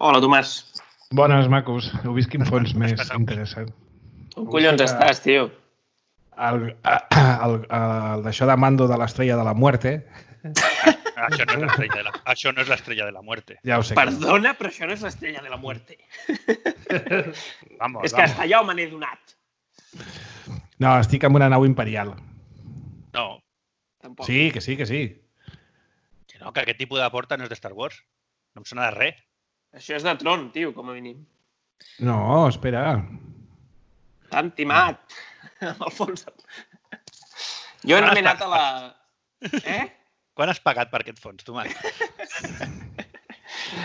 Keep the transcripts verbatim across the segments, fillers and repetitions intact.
Hola, Tomàs. Bones, macos. Heu vist quin fons més interessant. On collons estàs, tio? El, el, el d'això de mando de l'estrella de la muerte. Això no és l'estrella de la, això no és l'estrella de la muerte. Ja ho sé. Perdona, però això no és l'estrella de la muerte. Vamos, és que hasta allà me n'he donat. No, estic amb una nau imperial. No. Tampoc. Sí, que sí, que sí. Que no, que aquest tipus de porta no és de Star Wars. No em sona de res. Això és de Tron, tio, com a mínim. No, espera. T'han timat. Amb el fons. Jo he nomenat a la... Eh? Quan has pagat per aquest fons, Tomàs?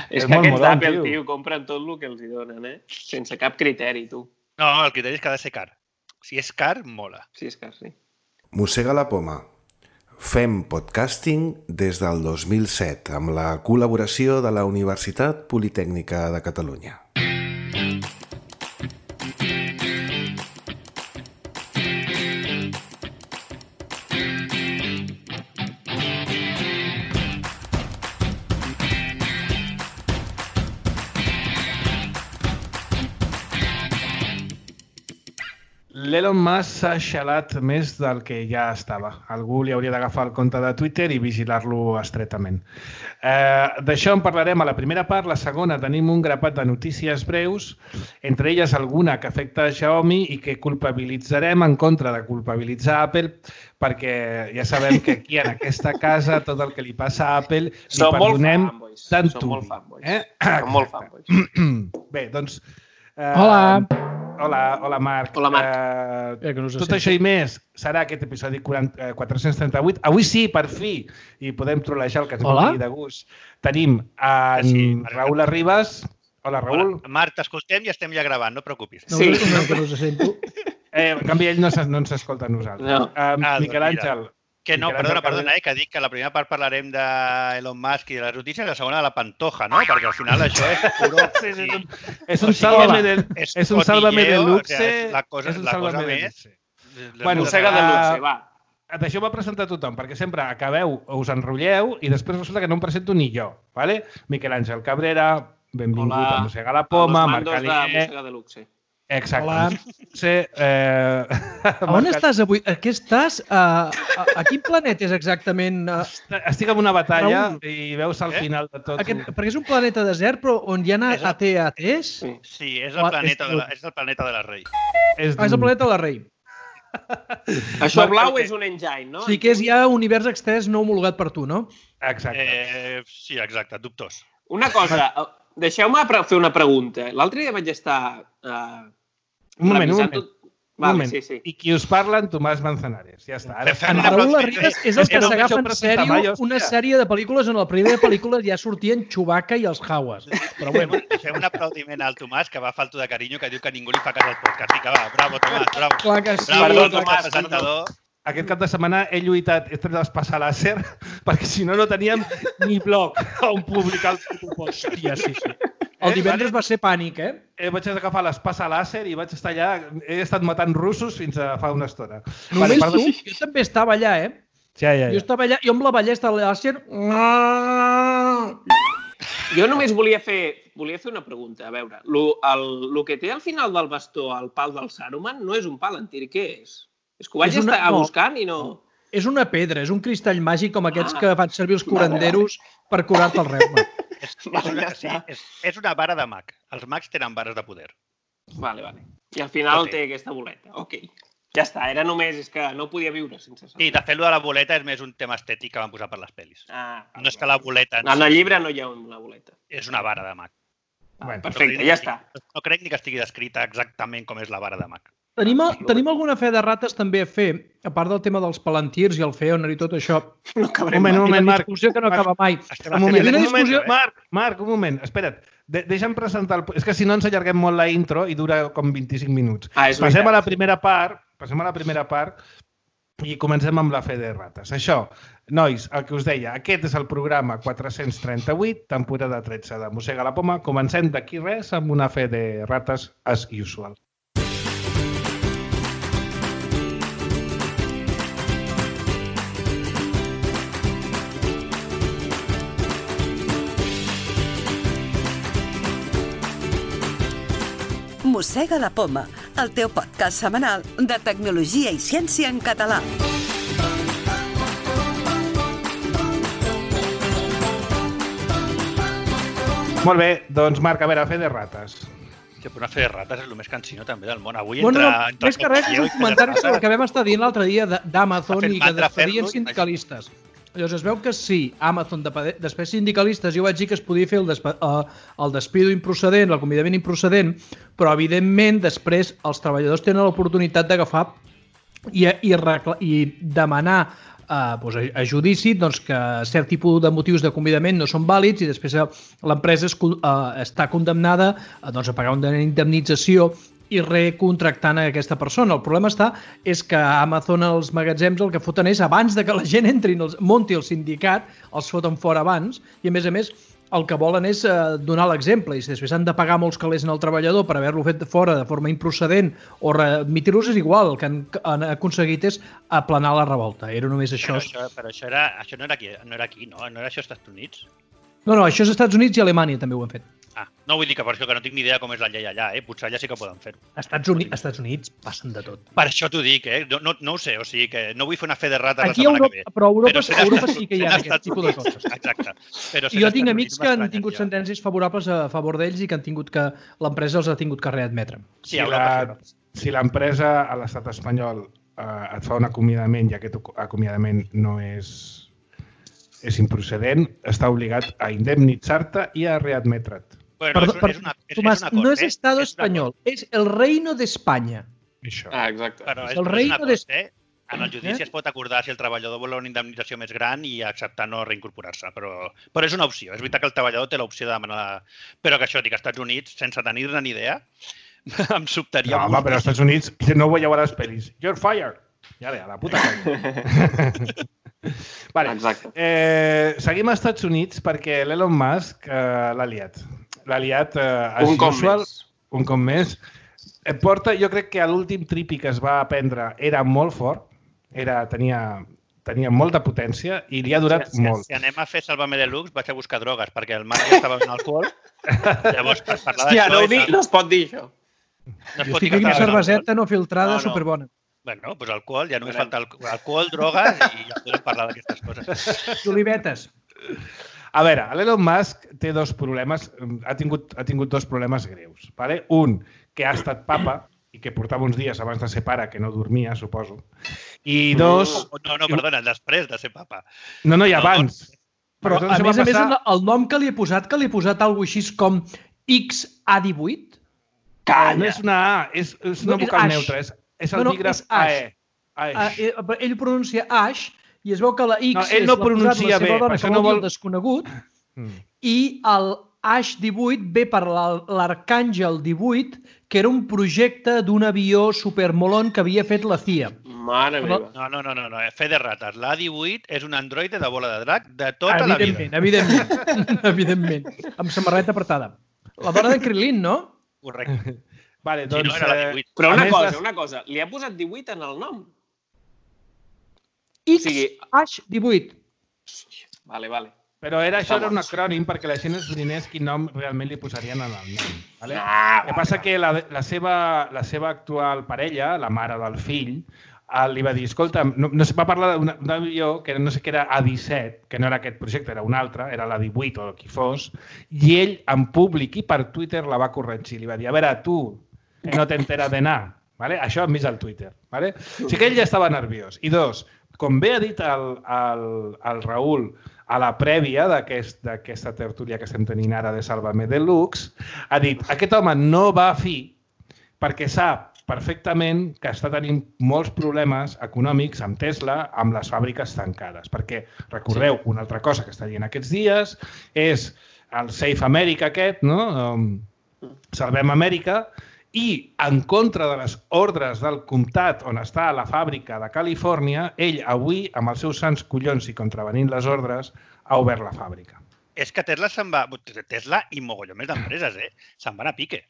És que aquests d'Apple, tio, compren tot el que els hi donen, eh? Sense cap criteri, tu. No, el criteri és que ha de ser car. Si és car, mola. Si és car, sí. Mossega la poma. Fem podcasting des del dos mil set amb la col·laboració de la Universitat Politècnica de Catalunya. L'Elon Musk s'ha xalat més del que ja estava. Algú li hauria d'agafar el compte de Twitter i vigilar-lo estretament. Eh, D'això en parlarem a la primera part. La segona tenim un grapat de notícies breus, entre elles alguna que afecta a Xiaomi i que culpabilitzarem en contra de culpabilitzar Apple, perquè ja sabem que aquí en aquesta casa tot el que li passa a Apple li Som perdonem tant tu. Som molt fanboys. Eh? Som molt fanboys. Bé, doncs... Eh, Hola. Hola, hola Marc. Hola, Marc. Uh, Eh, que no us tot sento. això i més serà aquest episodi quaranta, quatre-cents trenta-vuit. Avui sí, per fi, i podem trolejar el que ens Hola. vulgui de gust. Tenim en Sí, Raül Arribas. Hola, Raül. Hola. Marc, t'escoltem i estem ja gravant, no et preocupis. No, Sí. no, que no us sento. Eh, en canvi, ell no, se- no ens escolta a nosaltres. No. Uh, Ah, Miquel Àngel. Que no, Miquel perdona, Àngel perdona, eh, que dic que la primera part parlarem d'Elon Musk i de les notícies, la segona de la Pantoja, no? Perquè al final això és puro... Sí, sí, és un, és O un sigui, sálvame de, és és un sálvame de cotilleo, luxe. o sea, és la cosa- és un la cosa sálvame de més- luxe. Les Bueno, Mossega de ah, luxe, va. D'això va presentar tothom, perquè sempre acabeu, us enrotlleu i després resulta que no em presento ni jo. ¿Vale? Miquel Àngel Cabrera, benvingut Hola. a Mossega la Poma, A los Marc mandos de Alier... Mossega de luxe. Exacte. Hola. Sí, eh... A on estàs avui? A què estàs? A, a, a quin planeta és exactament? A, Estic en una batalla Raül. i veus al Eh? final de tot... aquest, perquè és un planeta desert, però on hi ha És el- A T A Ts? Sí. Sí, és Ah, el planeta és- de la, és el planeta de la Rei. És, Ah, és el planeta de la Rei. Això Marc, blau perquè- és un engine, no? O sigui que és ja univers extès no homologat per tu, no? Exacte. Eh, sí, exacte, dubtós. Una cosa, eh, deixeu-me pre- fer una pregunta. L'altre dia vaig estar... Uh, Un moment, un revisant moment. tot- Un Vale, moment. sí, sí. I qui us parla, en Tomàs Manzanares. Ja està. Ara Fem En una Raül pròxima- Arribas és el és que que no s'agafa m'ho en presenta sèrio mai, una hòstia. sèrie de pel·lícules on a la primera pel·lícula ja sortien Chewbacca i els Jawas. Però bueno, Fem un aplaudiment al Tomàs, que va falto de carinyo, que diu que ningú li fa cas al podcast. Vinga, va, bravo, Tomàs, bravo. clar que sí. Bravo, Perdó, clar que Tomàs, ets presentador. Aquest cap de setmana he lluitat, he tret l'espasa làser, perquè si no, no teníem ni blog on publicar el puto post. Hòstia, sí, sí. El divendres va ser pànic, eh? Eh, vaig agafar l'espasa làser i vaig estar allà, he estat matant russos fins a fa una estona. Només perdó. tu? Jo també estava allà, eh? Ja, ja, Jo ja. estava allà, jo amb la ballesta de l'àser... Jo només volia fer, volia fer una pregunta. A veure, lo, el, lo que té al final del bastó, el pal del Saruman, no és un palantir, què és? És que ho vaig És una- estar no. buscant i no... És una pedra, és un cristall màgic com aquests Ah. que fan servir els curanderos per curar-te el reuma. És, és, Vale, una, ja sí, està. és, és una vara de mag. Els mags tenen vares de poder. Vale, vale. I al final Sí. té aquesta boleta. Ok. Ja està, era només, és que no podia viure sense Sí, de fet, lo de la boleta és més un tema estètic que van posar per les pel·lis. Ah, No és que la boleta en en el si llibre no hi ha una boleta. és una vara de mag. Bueno, Perfecte, No crec ja ni- està. No crec ni que estigui descrita exactament com és la vara de mag. Tenim, tenim alguna fe de rates també a fer, a part del tema dels palantirs i el Feoner i tot això. No Un cabrem. moment, un I la moment, Marc. discussió que no acaba mai. Estem Un a moment, Hi havia un una moment, discussió- Marc, Marc, un moment, espera't. De deixa'm presentar... El... És que si no ens allarguem molt la intro i dura com vint-i-cinc minuts. Ah, és Passem veritat. a la primera part, passem a la primera part i comencem amb la fe de rates. Això, nois, el que us deia, aquest és el programa quatre-cents trenta-vuit, temporada tretze de Mossega la Poma. Comencem d'aquí res amb una fe de rates as usual. Mossega la Poma, el teu podcast setmanal de tecnologia i ciència en català. Molt bé, doncs Marc, a veure, fer de rates. Que per una fer de rates és el més cansino també del món. Avui Bueno, entra... no, entra més que res és un comentari sobre el que vam estar dient l'altre dia de- d'Amazon Ha fet i que mandra despedien fer-lo, sindicalistes. Llavors es veu que sí, Amazon de- després sindicalistes, jo vaig dir que es podia fer el, despe uh, el despido improcedent, l'acomiadament improcedent, però evidentment després els treballadors tenen l'oportunitat d'agafar i, i, recla- i demanar Uh, doncs a, a judici doncs, que cert tipus de motius d'acomiadament no són vàlids i després uh, l'empresa es, uh, està condemnada uh, doncs, a pagar una indemnització i recontractant a aquesta persona. El problema està és que Amazon els magatzems el que foten és abans de que la gent entri, els, munti el sindicat, els foten fora abans i a més a més el que volen és uh, donar l'exemple i si després han de pagar molts calés al treballador per haver-lo fet fora de forma improcedent o readmitir-los és igual, el que han, han aconseguit és aplanar la revolta. Era només això. Però això, però això, era, això no, era aquí, no era aquí, no? No era això als Estats Units? No, no, això és als Estats Units i Alemanya també ho han fet. Ah, no vull dir que per això que no tinc ni idea com és la llei allà, eh? Potser allà sí que poden fer-ho. Als Estats Units, als Estats Units passen de tot. Per això t'ho dic, eh? No, no, no ho sé, o sigui que no vull fer una fe de rates Aquí la a setmana Europa, que ve. però a Europa, Però a Europa sí que hi ha sent aquest Estats tipus de Units. coses. Exacte. Però I jo tinc amics que han tingut sentències favorables a favor d'ells i que han tingut que l'empresa els ha tingut que readmetre. Sí, Si a Europa, la- sí, a Europa. Si l'empresa a l'estat espanyol eh, et fa un acomiadament i aquest acomiadament no és, és improcedent, està obligat a indemnitzar-te i a readmetre't. Bueno, Perdó, és, per, és una, és, Tomàs, és una cosa, no és eh? Estado És una espanyol, és el Reino d'Espanya. Això. Ah, exacte. Però és, El però és reino una de- cosa, eh? En el judici Eh? es pot acordar si el treballador vol una indemnització més gran i acceptar no reincorporar-se, però, però és una opció. És veritat que el treballador té l'opció de demanar... Però que això, dic, als Estats Units, sense tenir-ne ni idea, em sobtaria No, home, però als Estats Units no veieu a les pel·lis. You're fired! Ja ve, a la puta colla. Vale. Exacte. Eh, seguim als Estats Units perquè l'Elon Musk eh, l'ha liat. L'ha liat eh, as Un cop usual, més. un cop més. Eh, porta, jo crec que l'últim tripi que es va aprendre era molt fort, era, tenia, tenia molta potència i li ha durat si, molt. Si anem a fer Sálvame Deluxe, vaig a buscar drogues, perquè el Marc ja estava en alcohol. Llavors, per parlar Hòstia, d'això... no, ho és- dic, no es pot dir això. No es Jo pot dir estic que aquí una estava en cerveseta alcohol. no filtrada No, no. superbona. Bueno, doncs alcohol, ja només falta alco- alcohol, drogues i ja podem parlar d'aquestes coses. I olivetes. A veure, l'Elon Musk té dos problemes, ha tingut, ha tingut dos problemes greus. Vale? Un, que ha estat papa i que portava uns dies abans de ser pare, que no dormia, suposo. I dos... No, no, perdona, després de ser papa. No, no, i No, abans. Però, Perquè tot a això més va a més, passar- el nom que li he posat, que li he posat alguna així com X A divuit, Calla! No és una A, és, és una No, és vocal Ash. neutra, és, és el No, no, dígraf és Ash. A E. eh, Ash. eh, ell pronuncia Ash i es veu que la X No, ell és no l'ha posat pronuncia la seva bé, dona, per que això vol no dir vol- el desconegut, Mm. i el Ash divuit ve per la- l'Arcàngel divuit, que era un projecte d'un avió supermolon que havia fet la C I A. Mare Però- meva. No, no, no, no, no. Fe de rates. L'A divuit és un androide de bola de drac de tota la vida. Evidentment, evidentment, evidentment. Amb samarreta apretada. La dona de Krilin, no? Correcte. Vale, Si doncs... no, era la eh, divuit. Però a una més, cosa, les- una cosa. Li ha posat divuit en el nom. X sigui- H divuit. Vale, vale. Però era, això era un Vamos. acrònim perquè la gent es doninés quin nom realment li posarien en el nom. Vale? Ah, El que passa que la, la, seva, la seva actual parella, la mare del fill, eh, li va dir, escolta, no, no sé, va parlar d'un d'un avió que no sé què era A disset, que no era aquest projecte, era un altre, era l'A divuit o qui fos, i ell en públic i per Twitter la va corregir. Li va dir, a veure, tu, que no t'enteres de anar. Vale? Això hem vist al Twitter. Vale? O sigui que ell ja estava nerviós. I dos, com bé ha dit el, el, el Raül a la prèvia d'aquest- d'aquesta tertúlia que estem tenint ara de Sálvame Deluxe, ha dit, aquest home no va a fi perquè sap perfectament que està tenint molts problemes econòmics amb Tesla, amb les fàbriques tancades. Perquè, recordeu, una altra cosa que està dient aquests dies és el Safe America aquest, no? Um, Salvem Amèrica, i en contra de les ordres del comtat on està la fàbrica de Califòrnia, ell avui, amb els seus sants collons i contravenint les ordres, ha obert la fàbrica. És que Tesla se'n va... Tesla i mogolló més d'empreses, eh? Se'n van a pique.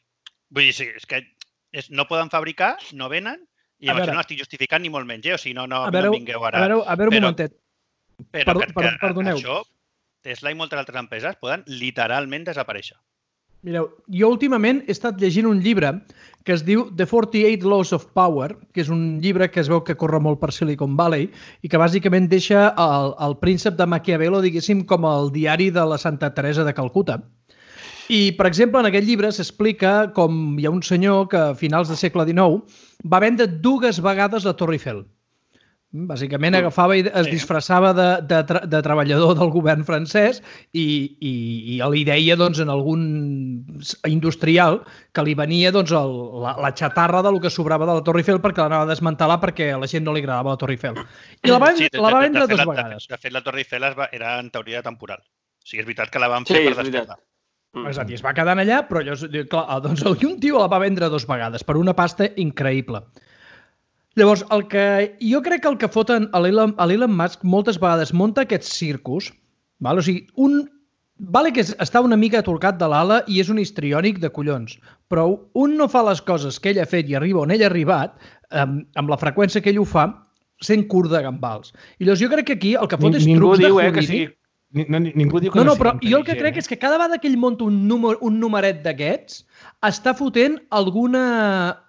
Vull dir, sí, és que és, no poden fabricar, no venen, i A amb això veure. no estic justificant ni molt menys, eh? O sigui, no, no, A veure, no vingueu a ara. veure, a veure un Però- momentet. Però Perdó- que, per- que perdoneu. això, Tesla i moltes altres empreses poden literalment desaparèixer. Mireu, jo últimament he estat llegint un llibre que es diu The forty-eight Laws of Power, que és un llibre que es veu que corre molt per Silicon Valley i que bàsicament deixa el, el príncep de Maquiavelo, diguéssim, com el diari de la Santa Teresa de Calcuta. I, per exemple, en aquest llibre s'explica com hi ha un senyor que a finals del segle dinou va vendre dues vegades la Torre Eiffel. Bàsicament agafava i es disfressava de, de, de treballador del govern francès i, i, i li deia doncs, en algun industrial que li venia doncs, el, la, la xatarra del que sobrava de la Torre Eiffel perquè l'anava a desmantelar perquè a la gent no li agradava la Torre Eiffel. I la va, sí, de, la va vendre de, de, de, dues vegades. De fet, la Torre Eiffel va, era en teoria temporal. O sigui, és veritat que la van fer sí, per despertar. Mm. Exacte, i es va quedar allà, però allò, clar, doncs un tio la va vendre dues vegades per una pasta increïble. Llavors, el que, jo crec que el que foten a l'Elon Musk moltes vegades munta aquests circus, val? O sigui, un, vale que està una mica atorcat de l'ala i és un histriònic de collons, però un no fa les coses que ell ha fet i arriba on ell ha arribat, amb, amb la freqüència que ell ho fa, sent curt de gambals. I llavors jo crec que aquí el que fot és Ningú trucs de diu, jurídic. Eh, que sigui... No, ningú diu que no, no, no, no però sigui jo el que crec eh? és que cada vegada que ell monta un, número, un numeret d'aquests està fotent alguna,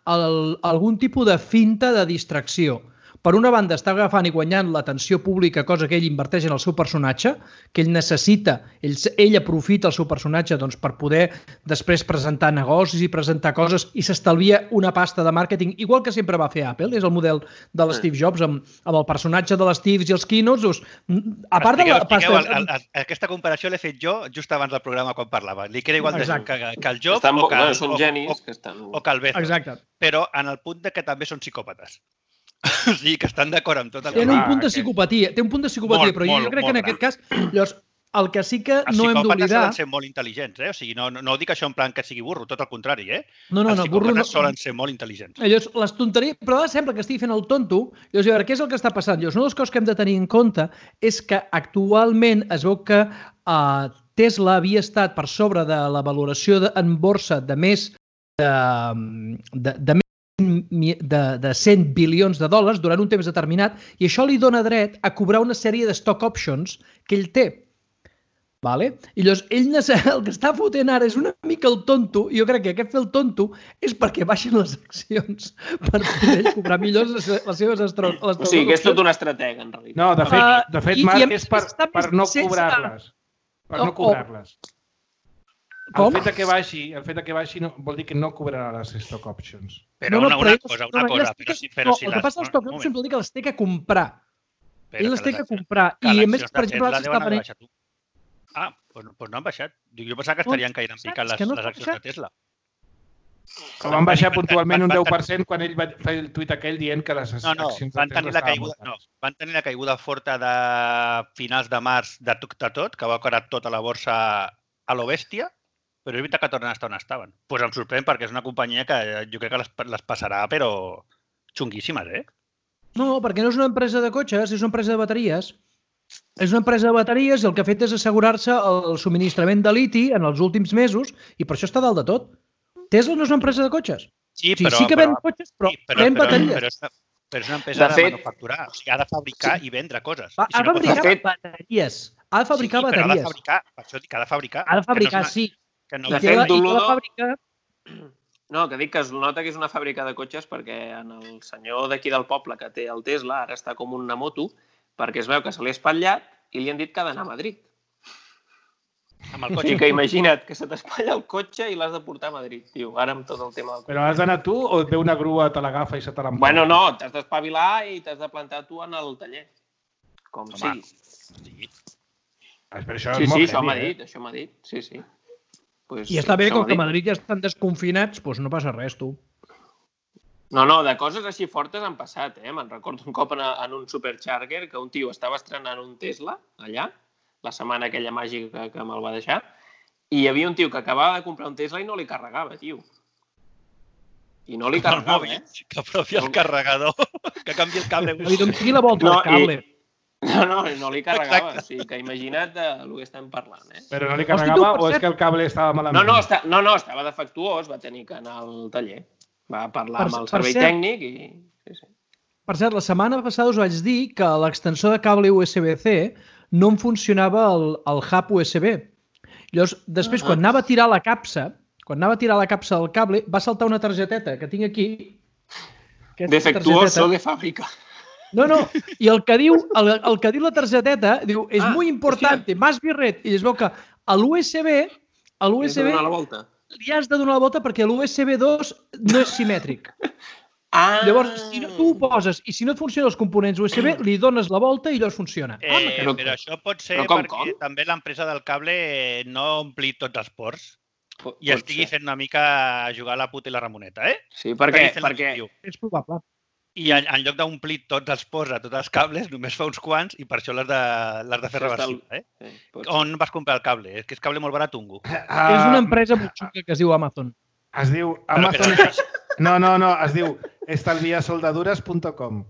el, algun tipus de finta de distracció. Per una banda, està agafant i guanyant l'atenció pública, cosa que ell inverteix en el seu personatge, que ell necessita, ell, ell aprofita el seu personatge doncs, per poder després presentar negocis i presentar coses i s'estalvia una pasta de màrqueting, igual que sempre va fer Apple, és el model de l'Steve Jobs, amb, amb el personatge de l'Steve i els keynotes. Doncs, a part estigueu, de la pasta... El, el, el, aquesta comparació l'he fet jo just abans del programa quan parlava. Li queda igual de, que, que el Jobs estan, o que, bueno, són o, genis o, que estan... o que el Bezos. Exacte. Però en el punt de que també són psicòpates. O sigui, que estan d'acord amb tot el que... Té un punt de psicopatia, té un punt de psicopatia, molt, però jo, jo crec que en aquest cas, llavors, el que sí que no hem d'oblidar... Els psicòpates solen ser molt intel·ligents, eh? O sigui, no, no, no dic això en plan que sigui burro, tot el contrari, eh? No, no, els no, burro no. Els psicòpates solen ser molt intel·ligents. Llavors, les tonteries... Però ara sembla que estigui fent el tonto. Llavors, a veure, què és el que està passant? Llavors, una de les coses que hem de tenir en compte és que actualment es veu que uh, Tesla havia estat per sobre de la valoració de, en borsa de més de, de, de més De, de cent bilions de dòlars durant un temps determinat i això li dona dret a cobrar una sèrie de stock options que ell té. Vale? I llavors, ell el que està fotent ara és una mica el tonto i jo crec que aquest fer el tonto és perquè baixin les accions per poder cobrar millor les, les seves estros. O sigui, que és tot una estratega, en realitat. No, de fet, uh, de fet i, Marc, i és per, per no cobrar-les. Per no cobrar-les. Com? El fet que baixi, el fet que baixi no, vol dir que no cobrarà les stock options. Però no, no, una, una però cosa, no, una cosa. Que, però si, però no, si el que passa als stock options vol dir que les té que comprar. Però ell les té que comprar. I a més, per exemple, s'està venent... Ah, doncs, doncs no han baixat. Jo pensava que estarien caient en picat les, les accions de Tesla. Que van baixar puntualment un deu per cent quan ell va fer el tuit aquell dient que les no, no, accions van de tenir Tesla la caiguda, no, van tenir la caiguda forta de finals de març de tot, de tot que va caure tota la borsa a lo bèstia, però és veritat que tornen a estar on estaven. Doncs pues em sorprèn perquè és una companyia que jo crec que les, les passarà, però xunguíssimes, eh? No, perquè no és una empresa de cotxes, és una empresa de bateries. És una empresa de bateries i el que ha fet és assegurar-se el subministrament de liti en els últims mesos i per això està dalt de tot. Tesla no és una empresa de cotxes. Sí, però, sí que ven cotxes, però, sí, però ven però, bateries. Però, però, però és una empresa de, de fet, manufacturar. O sigui, ha de fabricar sí. i vendre coses. Va, I si ha de no fabricar pot... bateries. Ha de fabricar sí, bateries. Però ha de fabricar, per això dic que ha de fabricar. Ha de fabricar, no una... sí. Que no... De fet, Doludo... Fabrica... No, que dic que es nota que és una fàbrica de cotxes perquè en el senyor d'aquí del poble que té el Tesla ara està com una moto perquè es veu que se l'ha espatllat i li han dit que ha d'anar a Madrid. Amb el cotxe. I que imagina't que se t'espatlla el cotxe i l'has de portar a Madrid, tio, ara amb tot el tema del cotxe. Però has d'anar tu o et ve una grua, te l'agafa i se te l'emporta? Bueno, no, t'has d'espavilar i t'has de plantar tu en el taller. Com Home, sigui. Sí. Sí, sí, això m'ha dit, això m'ha dit, sí, sí. Pues, I està bé, com que a Madrid ja estan desconfinats, doncs no passa res, tu. No, no, de coses així fortes han passat, eh? Me'n recordo un cop en, en un Supercharger que un tio estava estrenant un Tesla, allà, la setmana aquella màgica que, que me'l va deixar, i hi havia un tio que acabava de comprar un Tesla i no li carregava, tio. I no li carregava, eh? Que apropi el carregador, que canvi el cable. Li doni la volta al cable. No, no, no li carregava. O sigui, que imagina't el que estem parlant, eh? Però no li carregava o és que el cable estava malament? No, no, està, no, no, estava defectuós, va tenir que anar al taller. Va parlar amb el servei tècnic i... Sí, sí. Per cert, la setmana passada us vaig dir que l'extensor de cable U S B C no em funcionava el, el hub U S B. Llavors, després, quan anava a tirar la capsa, Quan anava a tirar la capsa del cable, va saltar una targeteta que tinc aquí. Defectuoso de fàbrica. No, no, i el que diu, el, el que diu la targeteta, diu, és Ah, muy importante, más birret, i es veu que a l'U S B, a l'U S B, donar la volta. li has de donar la volta perquè l'U S B dos no és simètric. Ah. Llavors, si no, tu ho poses i si no et funcionen els components U S B, li dones la volta i llavors funciona. Eh, Ah, però- però això pot ser però com, perquè com? també l'empresa del cable no ompli tots els ports Pot- i pot estigui ser. fent una mica jugar a la puta i la Ramoneta, eh? Sí, perquè, Estigui fent perquè el que diu. És probable. I en, en lloc d'omplir tots els ports a tots els cables, només fa uns quants i per això l'has de, l'has de fer Això està reversible, eh? sí, pot ser. On vas comprar el cable? És que és cable molt baratungo. És Ah, una empresa molt xunga que es diu Amazon. Es diu Però Amazon... que- No, no, no, es diu estalviasoldadures punt com.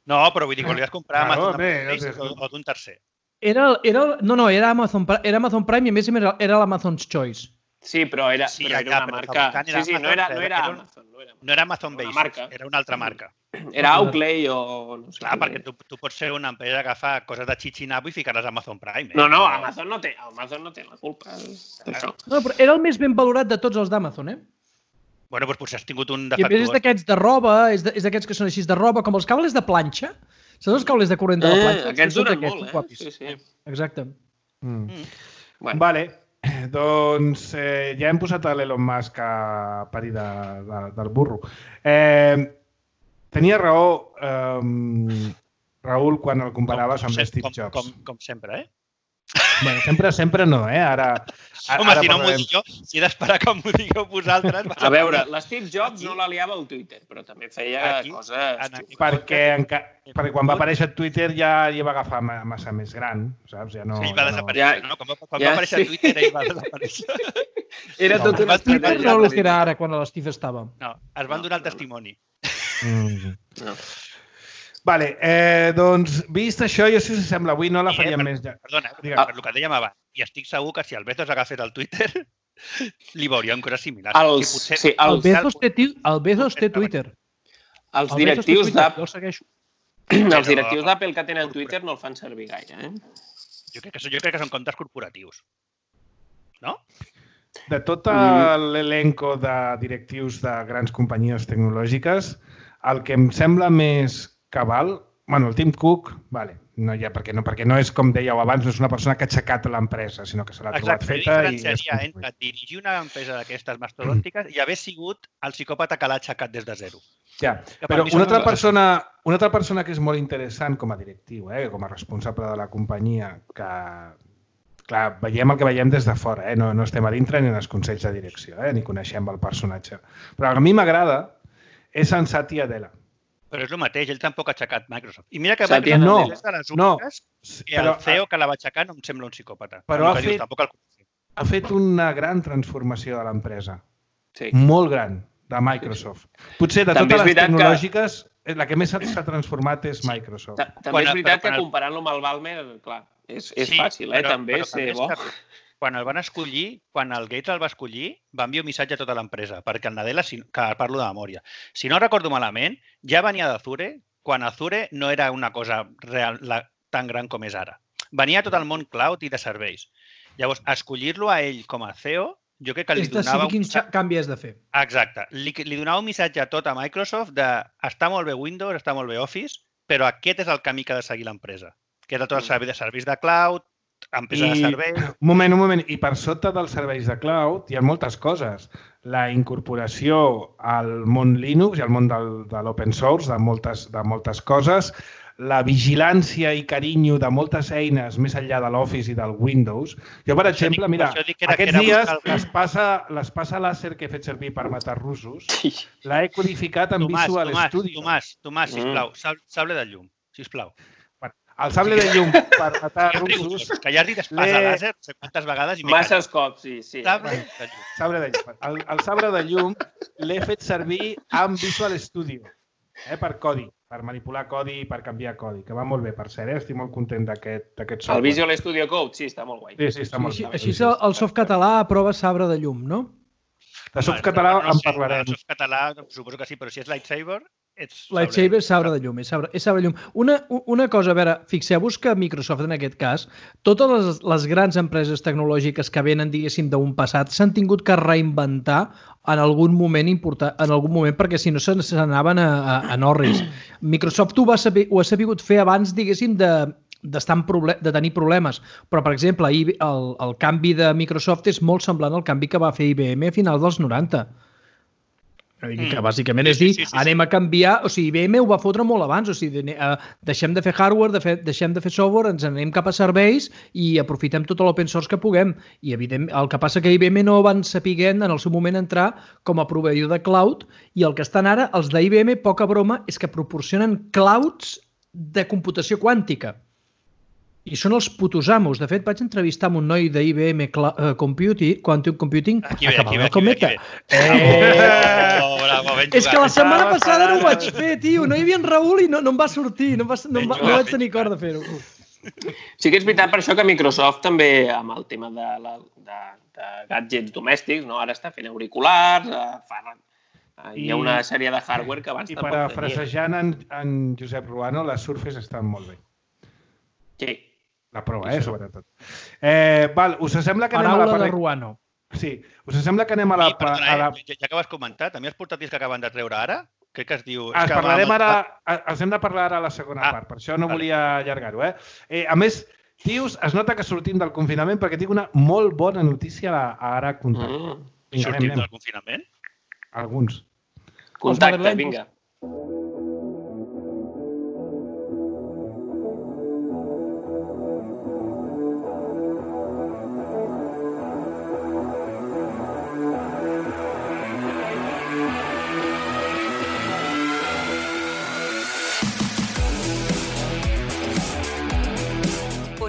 No, però vull dir que volies comprar Claro, Amazon bé, mateix no sé. o, o d'un tercer. Era, era, no, no, era Amazon, Pri- era Amazon Prime i a més a més era, era l'Amazon's Choice. Sí, però era, Sí, però ja, era una però el marca... fabricant Sí, era sí, no Amazon, era, no era- era era un- Amazon. No era, No era Amazon Una Basics, marca. era una altra marca. era Outlay o... No sé Clar, què. perquè tu, tu pots ser una empresa que fa coses de xixinabo i ficar-les a Amazon Prime. Eh? No, no, Amazon no té, Amazon no té la culpa d'això. No, però era el més ben valorat de tots els d'Amazon, eh? Bueno, doncs potser has tingut un I a més és defectuós. d'aquests de roba, és de- és d'aquests que són així de roba, com els cables de planxa. Saps els cables de corrent de la Eh, planxa? aquests Són duren d'aquests, molt, guapis. eh? Sí, sí. Exacte. Mm. Mm. Bueno, Vale, doncs eh, ja hem posat a l'Elon Musk a parir de, de, del burro. Eh, tenia raó eh, Raül quan el comparaves Com- amb com- Steve com, Jobs. Com, com sempre, eh? Bueno, sempre, sempre no, eh? Ara, ara Home, si no m'ho parlarem- dic jo, si he d'esperar que m'ho digueu vosaltres... a veure, l'Steve Jobs no la liava al Twitter, però també feia Aquí, coses... en aquí. perquè, enca... perquè quan va aparèixer a Twitter ja hi va agafar ma- massa més gran, saps? Ja no, Ell va ja no... desaparèixer, Ja- no? Quan, va, quan ja, va aparèixer sí. a Twitter, ell va desaparèixer. Era No, tot una va Twitter estratègia. no era el que era ara, quan l'Steve estava. No, es van No, donar el no, no. testimoni. Mm. No. Vale, eh, doncs, vist això, jo si us sembla, avui no la I, eh, faríem per- més ja. Perdona, Digue'm. per, per el que dèiem abans, i estic segur que si el Bezos agafés el Twitter, li veuríem coses similars. Els, Que potser- sí, El els, Bezos té, ti- el Bezos té Twitter. els El Bezos té directius Twitter, d'Apple jo el segueixo. els directius d'Apple que tenen Twitter no el fan servir gaire, eh? Jo crec que, són- jo crec que són comptes corporatius. No? De tot Mm. l'elenco de directius de grans companyies tecnològiques, el que em sembla més cabal, bueno, el Tim Cook, vale, no hi ha, perquè, no, perquè no és, com dèieu abans, no és una persona que ha aixecat l'empresa, sinó que se l'ha trobat Exacte, jo feta i... és diferenciaria construït. entre dirigir una empresa d'aquestes mastodòntiques i haver sigut el psicòpata que l'ha aixecat des de zero. Ja, que per però mi són una altra, dues. persona, una altra persona que és molt interessant com a directiu, eh, com a responsable de la companyia, que, clar, veiem el que veiem des de fora, eh, no, no estem a dintre ni en els consells de direcció, eh, ni coneixem el personatge. Però a mi m'agrada és en Satya Nadella. Però és el mateix, ell tampoc ha aixecat Microsoft. I mira que Satya Microsoft no, és de les no, úniques que però el C E O que la va aixecar no em sembla un psicòpata. Però El ha que dius, fet- tampoc el coneixem. ha fet una gran transformació de l'empresa, Sí. molt gran, de Microsoft. Potser de També és totes les veritat que- tecnològiques, eh, la que més s'ha s'ha transformat és Microsoft. Ta- També Quan- és veritat però que quan el- comparant-lo amb el Balmer, clar, és, és Sí, fàcil, eh? però- també però ser és bo. que Quan el van escollir, quan el Gates el va escollir, va enviar un missatge a tota l'empresa, perquè el Nadella, si- que parlo de memòria, si no recordo malament, ja venia d'Azure, quan Azure no era una cosa real, la, tan gran com és ara. Venia tot el món cloud i de serveis. Llavors, escollir-lo a ell com a C E O, jo crec que li És donava... decidir un quin missatge- xa- canvi has de fer. Exacte. Li, li donava un missatge a tot a Microsoft de està molt bé Windows, està molt bé Office, però aquest és el camí que ha de seguir l'empresa, que és tot el servei de serveis de cloud, empresa de serveis... Un moment, un moment. I per sota dels serveis de cloud hi ha moltes coses. La incorporació al món Linux i al món del, de l'open source, de moltes, de moltes coses, la vigilància i carinyo de moltes eines més enllà de l'Office i del Windows. Jo, per això exemple, dic- mira, per això dic que era- aquests que era dies buscar el- l'espasa l'espasa làser que he fet servir per matar russos l'he codificat en Tomàs, Visual Tomàs, Studio. Tomàs, Tomàs, Mm. sisplau, sab- sable de llum, sisplau. El sable de llum per matar Que ja russos, russos, que ja has dit espasa l'he- làser, no sé quantes vegades i m'he Masses cops, sí, sí. callat. Sable de llum. sabre de llum. El, el sabre de llum l'he fet servir amb Visual Studio, eh, per codi, per manipular codi i per canviar codi, que va molt bé, per cert, eh? Estic molt content d'aquest d'aquest software. El Visual Studio Code, sí, està molt guai. Sí, sí, està molt Així, bé. així el, el softcatalà aprova sabre de llum, no? De softcatalà Bueno, no en sé, parlarem. El softcatalà, suposo que sí, però si és Lightsaber, ets Lightsaber és sabre de llum, és sabre, és sabre de llum. Una, una cosa, a veure, fixeu-vos que Microsoft, en aquest cas, totes les, les grans empreses tecnològiques que venen, diguéssim, d'un passat, s'han tingut que reinventar en algun moment important, en algun moment, perquè si no se n'anaven a, a, a Norris. Microsoft ho, va saber, ho ha sabut fer abans, diguéssim, de d'estar en proble de tenir problemes. Però, per exemple, el, el canvi de Microsoft és molt semblant al canvi que va fer I B M a finals dels noranta. Que bàsicament és dir, sí, sí, sí, anem a canviar, o sigui, I B M ho va fotre molt abans, o sigui, deixem de fer hardware, de fer, deixem de fer software, ens anem cap a serveis i aprofitem tot l'open source que puguem. I evident, el que passa que I B M no van sapiguent en el seu moment entrar com a proveïdor de cloud i el que estan ara, els d'I B M, poca broma, és que proporcionen clouds de computació quàntica. I són els putos amos. De fet, vaig entrevistar amb un noi d'I B M Computing, Quantum Computing, aquí ve, aquí ve, aquí ve, aquí ve. Eh... Oh, bravo, ben jugat. És que la setmana passada no ho vaig fer, tio. No hi havia en Raül i no, no em va sortir. No, em va, no, em va, no vaig tenir cor de fer-ho. Sí que és veritat per això que Microsoft també, amb el tema de, la, de, de gadgets domèstics, no? Ara està fent auriculars, fa, hi ha una sèrie de hardware que abans I tampoc tenia. I parafrasejant en, en Josep Ruano, les Surface estan molt bé. Sí. La prova, eh, sobretot. Eh, val, us sembla que anem Paraula a la... de Ruano. Sí, us sembla que anem a la... Sí, perdona, a la... ja, ja que ho has comentat, també els portàtils que acaben de treure ara, crec que es diu... Es que parlarem va... ara, els hem de parlar ara a la segona ah, part, per això no vale. volia allargar-ho, eh? eh? A més, tios, es nota que sortim del confinament perquè tinc una molt bona notícia a, a ara contar. Mm. Vinga, Sortim anem, anem. del confinament? Alguns. Contacte, vinga.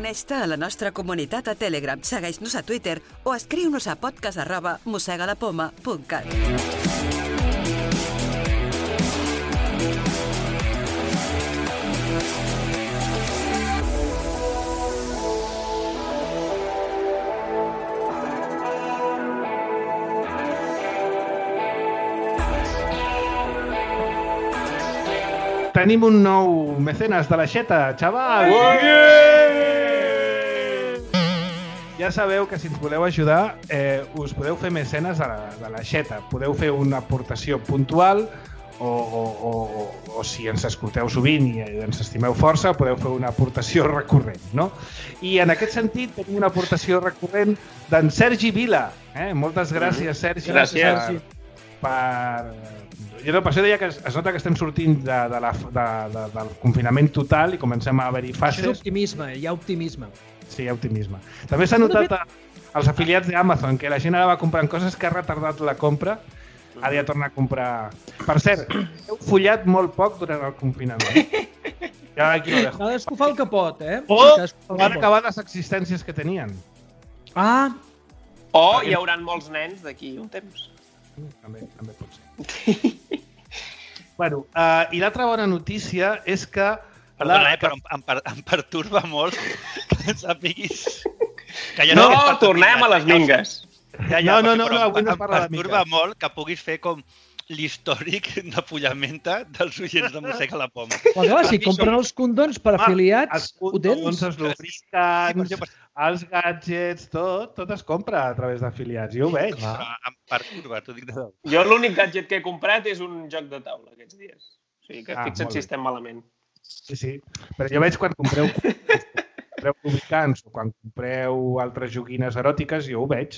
Uneix-te a la nostra comunitat a Telegram, segueix-nos a Twitter o escriu-nos a podcast arroba mossegalapoma punt cat. Tenim un nou mecenes de l'aixeta, xaval! Ja sabeu que si ens voleu ajudar, eh, us podeu fer mecenes de l'aixeta. Podeu fer una aportació puntual o, o, o, o si ens escolteu sovint i ens estimeu força, podeu fer una aportació recurrent, no? I en aquest sentit tenim una aportació recurrent d'en Sergi Vila. Eh? Moltes gràcies, Sergi. Gràcies. Per, per... Jo no, per això deia que es, es nota que estem sortint de, de la, de, de, del confinament total i comencem a haver-hi fases. Això és optimisme, hi ha optimisme. Sí, hi ha optimisme. També s'ha notat als afiliats d'Amazon que la gent ara va comprant coses que ha retardat la compra, ara ja torna a comprar... Per cert, heu follat molt poc durant el confinament. Ja aquí ho dejo. Cadascú fa el que pot, eh? O van acabar les existències que tenien. Ah! O hi haurà molts nens d'aquí un temps. També, també pot ser. Bueno, uh, i l'altra bona notícia és que... Perdona, eh, però em, em, em perturba molt que sàpiguis... Que ja no, no tornem a les mingues. Ja, ja, no, no, però no, avui no em, es parla de em perturba mingues. molt que puguis fer com l'històric de pollamenta dels oients de Mossega la Poma. Però clar, si compren els condons per afiliats, els ho tens. condons, els lubricants, els gadgets, tot, tot es compra a través d'afiliats. Jo ho veig. Però em perturba, t'ho dic de debò. Jo l'únic gadget que he comprat és un joc de taula aquests dies. O sigui que Ah, fixa't molt si bé. estem malament. Sí, sí. Però jo veig quan compreu, compreu lubricants o quan compreu altres joguines eròtiques, jo ho veig.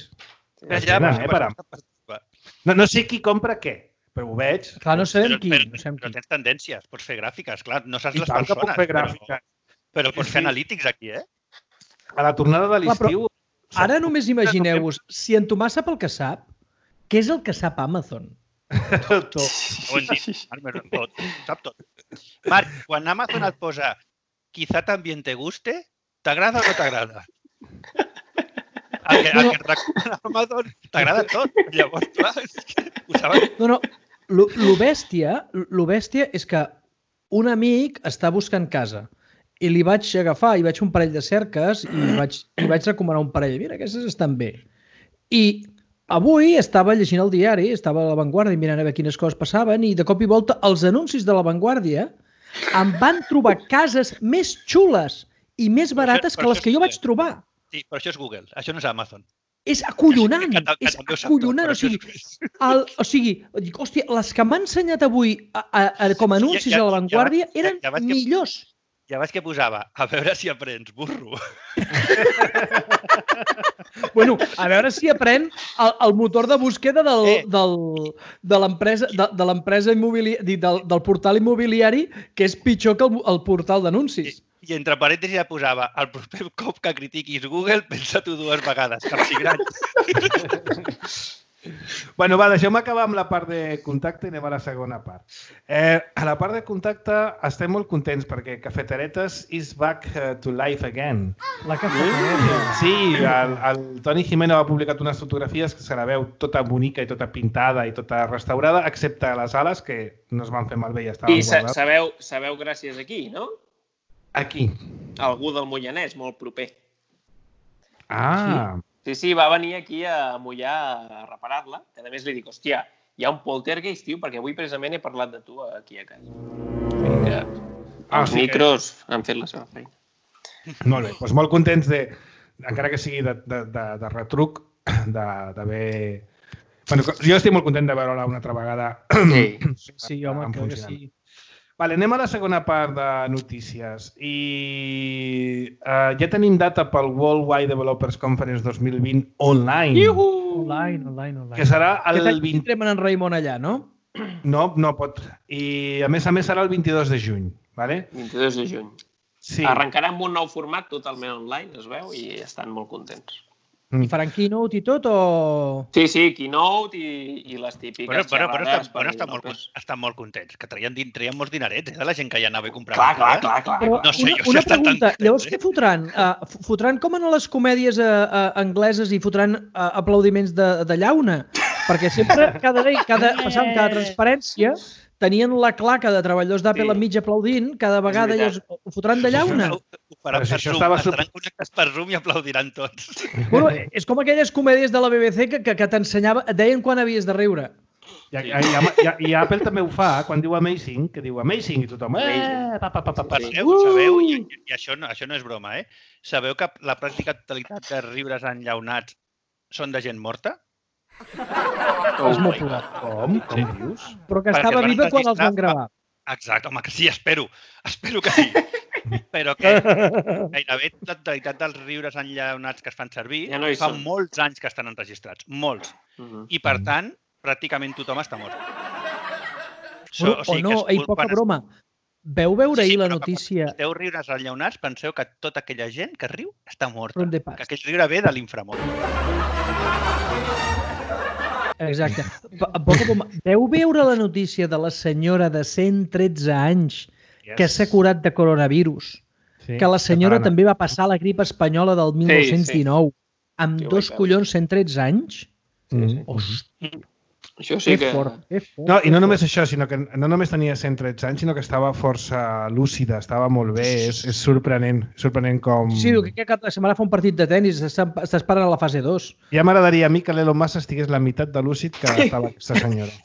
Ja, ja, Tenen, però, eh, però, per- em perturba. No, no sé qui compra què, però ho veig. Clar, no sabem Però, qui. però, No sabem però qui. tens tendències, pots fer gràfiques, clar, no saps I les tant que puc persones, fer però, gràfiques. però pots Sí, fer sí. analítics aquí, eh? A la tornada de Clar, però l'estiu... Ara només imagineu-vos, si en Tomàs sap el que sap, què és el que sap Amazon? tot. Ho hem dit, Marc, tot, sap tot. Marc, quan Amazon et posa quizá también te guste, t'agrada o no t'agrada? El que, el que et recomana Amazon t'agrada tot. Llavors, clar, és que ho saben. No, no, lo, lo bèstia, lo bèstia és que un amic està buscant casa i li vaig agafar, i vaig fer un parell de cerques i vaig, i vaig recomanar un parell. Mira, aquestes estan bé. I avui estava llegint el diari, estava a La Vanguardia mirant a veure quines coses passaven i de cop i volta els anuncis de La Vanguardia em van trobar cases més xules i més barates que les que jo vaig trobar. Sí, però això és Google, això no és Amazon. És acollonant, és acollonant. O sigui, el, o sigui, dic, hòstia, les que m'han ensenyat avui a, a, a, com a anuncis a La Vanguardia eren millors. Ja veig que posava, a veure si aprens, burro. Bueno, a veure si aprèn el, el motor de búsqueda del, eh. del, de l'empresa de, de l'empresa immobiliària, del, del portal immobiliari, que és pitjor que el, el portal d'anuncis. I, I entre parèntesis ja posava, el proper cop que critiquis Google, pensa-t'ho dues vegades, capsigrans. Bueno, va, deixeu-me acabar amb la part de contacte i anem a la segona part. Eh, a la part de contacte estem molt contents perquè Cafeteretes is back uh, to life again. La cafetereta. Sí, el, el Toni Jimeno ha publicat unes fotografies que se la veu tota bonica i tota pintada i tota restaurada, excepte les ales, que no es van fer malbé i estaven I guardades. I sabeu, sabeu gràcies a qui, no? Aquí. Algú del Mollanès, molt proper. Ah, sí. Sí, sí, va venir aquí a Mollà a reparar-la, que a més li dic, hòstia, hi ha un poltergeist, tio, perquè avui precisament he parlat de tu aquí a casa. Que ah, els sí micros que... han fet la seva feina. Molt bé, doncs molt contents de, encara que sigui de, de, de, de retruc, d'haver... Bueno, jo estic molt content de veure-la una altra vegada. Sí, sí home, crec que sí. Vale, anem a la segona part de notícies i uh, ja tenim data pel Worldwide Developers Conference dos mil vint online. Iuhu! Online, online, online. Que serà el vint... Que en Raimon allà, no? No, no pot. I a més a més serà el vint-i-dos de juny, vale? vint-i-dos de juny. Sí. Arrencarà amb un nou format totalment online, es veu, i estan molt contents. I faran keynote i tot o...? Sí, sí, keynote i, i les típiques bueno, però, però xerrades. Però estan, molt, estan molt contents, que traien, traien molts dinerets, eh, de la gent que ja anava a comprar. Clar, clar, clar, clar. Però no sé, una, jo una si pregunta, tan... llavors què fotran? Uh, fotran com en les comèdies uh, uh, angleses i fotran uh, aplaudiments de, de llauna? Perquè sempre, cada, cada, passant cada transparència, tenien la claca de treballadors d'Apple sí. enmig aplaudint, cada vegada ells ho fotran de llauna. Ho faran per Zoom, estava... estaran connectats per Zoom i aplaudiran tots. Bueno, és com aquelles comèdies de la B B C que, que, que t'ensenyava, et deien quan havies de riure. I, i, i, i Apple també ho fa, quan diu amazing, que diu amazing i tothom... Eh, pa, pa, pa, pa, pa. Sabeu, sabeu i, i això, no, això no és broma, eh? Sabeu que la pràctica totalitat de riures enllaunats són de gent morta? Oh, és molt probable. Com? Com sí. dius? Però que estava viva quan els van gravar. Exacte, home, que sí, espero. Espero que sí. Però que gairebé la totalitat dels riures enllaunats que es fan servir ja no fa són. molts anys que estan enregistrats. Molts. Uh -huh. I, per tant, pràcticament tothom està mort. So, o, o sigui, no, ei, poca broma. Veu veure ahir sí, la notícia... Si esteu riures enllaunats, penseu que tota aquella gent que riu està morta. Que aquell riure ve de l'inframón. Exacte. Veu veure la notícia de la senyora de cent tretze anys yes. que s'ha curat de coronavirus? Sí, que la senyora catalana. També va passar la grip espanyola del mil nou-cents dinou. Sí, sí. Amb sí, dos collons cent tretze anys? Sí, sí. Hosti. Això sí que... Fort, fort, no, i no només això, sinó que no només tenia cent tretze anys, sinó que estava força lúcida, estava molt bé, és, és sorprenent, sorprenent com... Sí, que cap de setmana fa un partit de tennis, està esperant a la fase dos. Ja m'agradaria a mi que l'Elon Musk estigués la meitat de lúcid que estava aquesta senyora.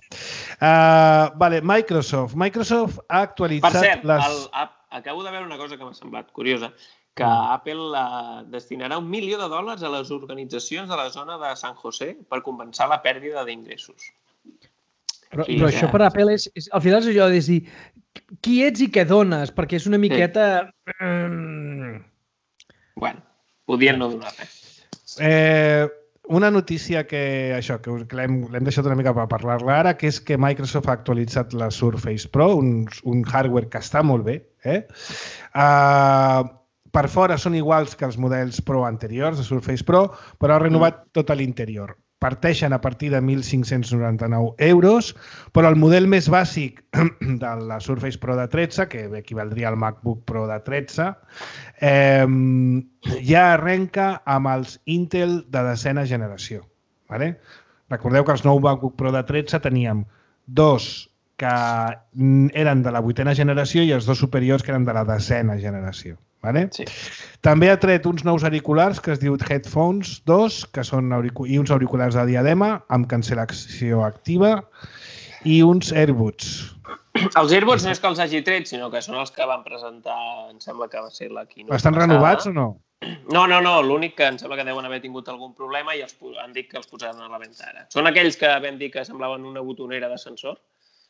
Uh, vale, Microsoft. Microsoft ha actualitzat... Per cert, les... el, acabo de veure una cosa que m'ha semblat curiosa, que Apple uh, destinarà un milió de dòlars a les organitzacions de la zona de San José per compensar la pèrdua d'ingressos. Però, però això per Apple és, és... Al final és allò de dir qui ets i què dones, perquè és una miqueta... Sí. Mm... Bueno, podien no donar res. Eh, una notícia que, això, que l'hem deixat una mica per parlar-la ara, que és que Microsoft ha actualitzat la Surface Pro, un, un hardware que està molt bé. Eh? Uh, per fora són iguals que els models Pro anteriors, de Surface Pro, però ha renovat mm. tot l'interior. Parteixen a partir de mil cinc-cents noranta-nou euros, però el model més bàsic de la Surface Pro de tretze, que equivaldria al MacBook Pro de tretze, eh, ja arrenca amb els Intel de desena generació. Vale? Recordeu que els nou MacBook Pro de tretze teníem dos que eren de la vuitena generació i els dos superiors que eren de la desena generació. Vale? Sí. També ha tret uns nous auriculars que es diu Headphones dos, que són auricu i uns auriculars de diadema amb cancel·lació activa i uns AirBuds. Els AirBuds no és que els hagi tret, sinó que són els que van presentar, em sembla que va ser la keynote Estan passada. renovats o no? No, no, no. L'únic que em sembla que deuen haver tingut algun problema i els han dit que els posaran a la venda ara. Són aquells que vam dir que semblaven una botonera d'ascensor.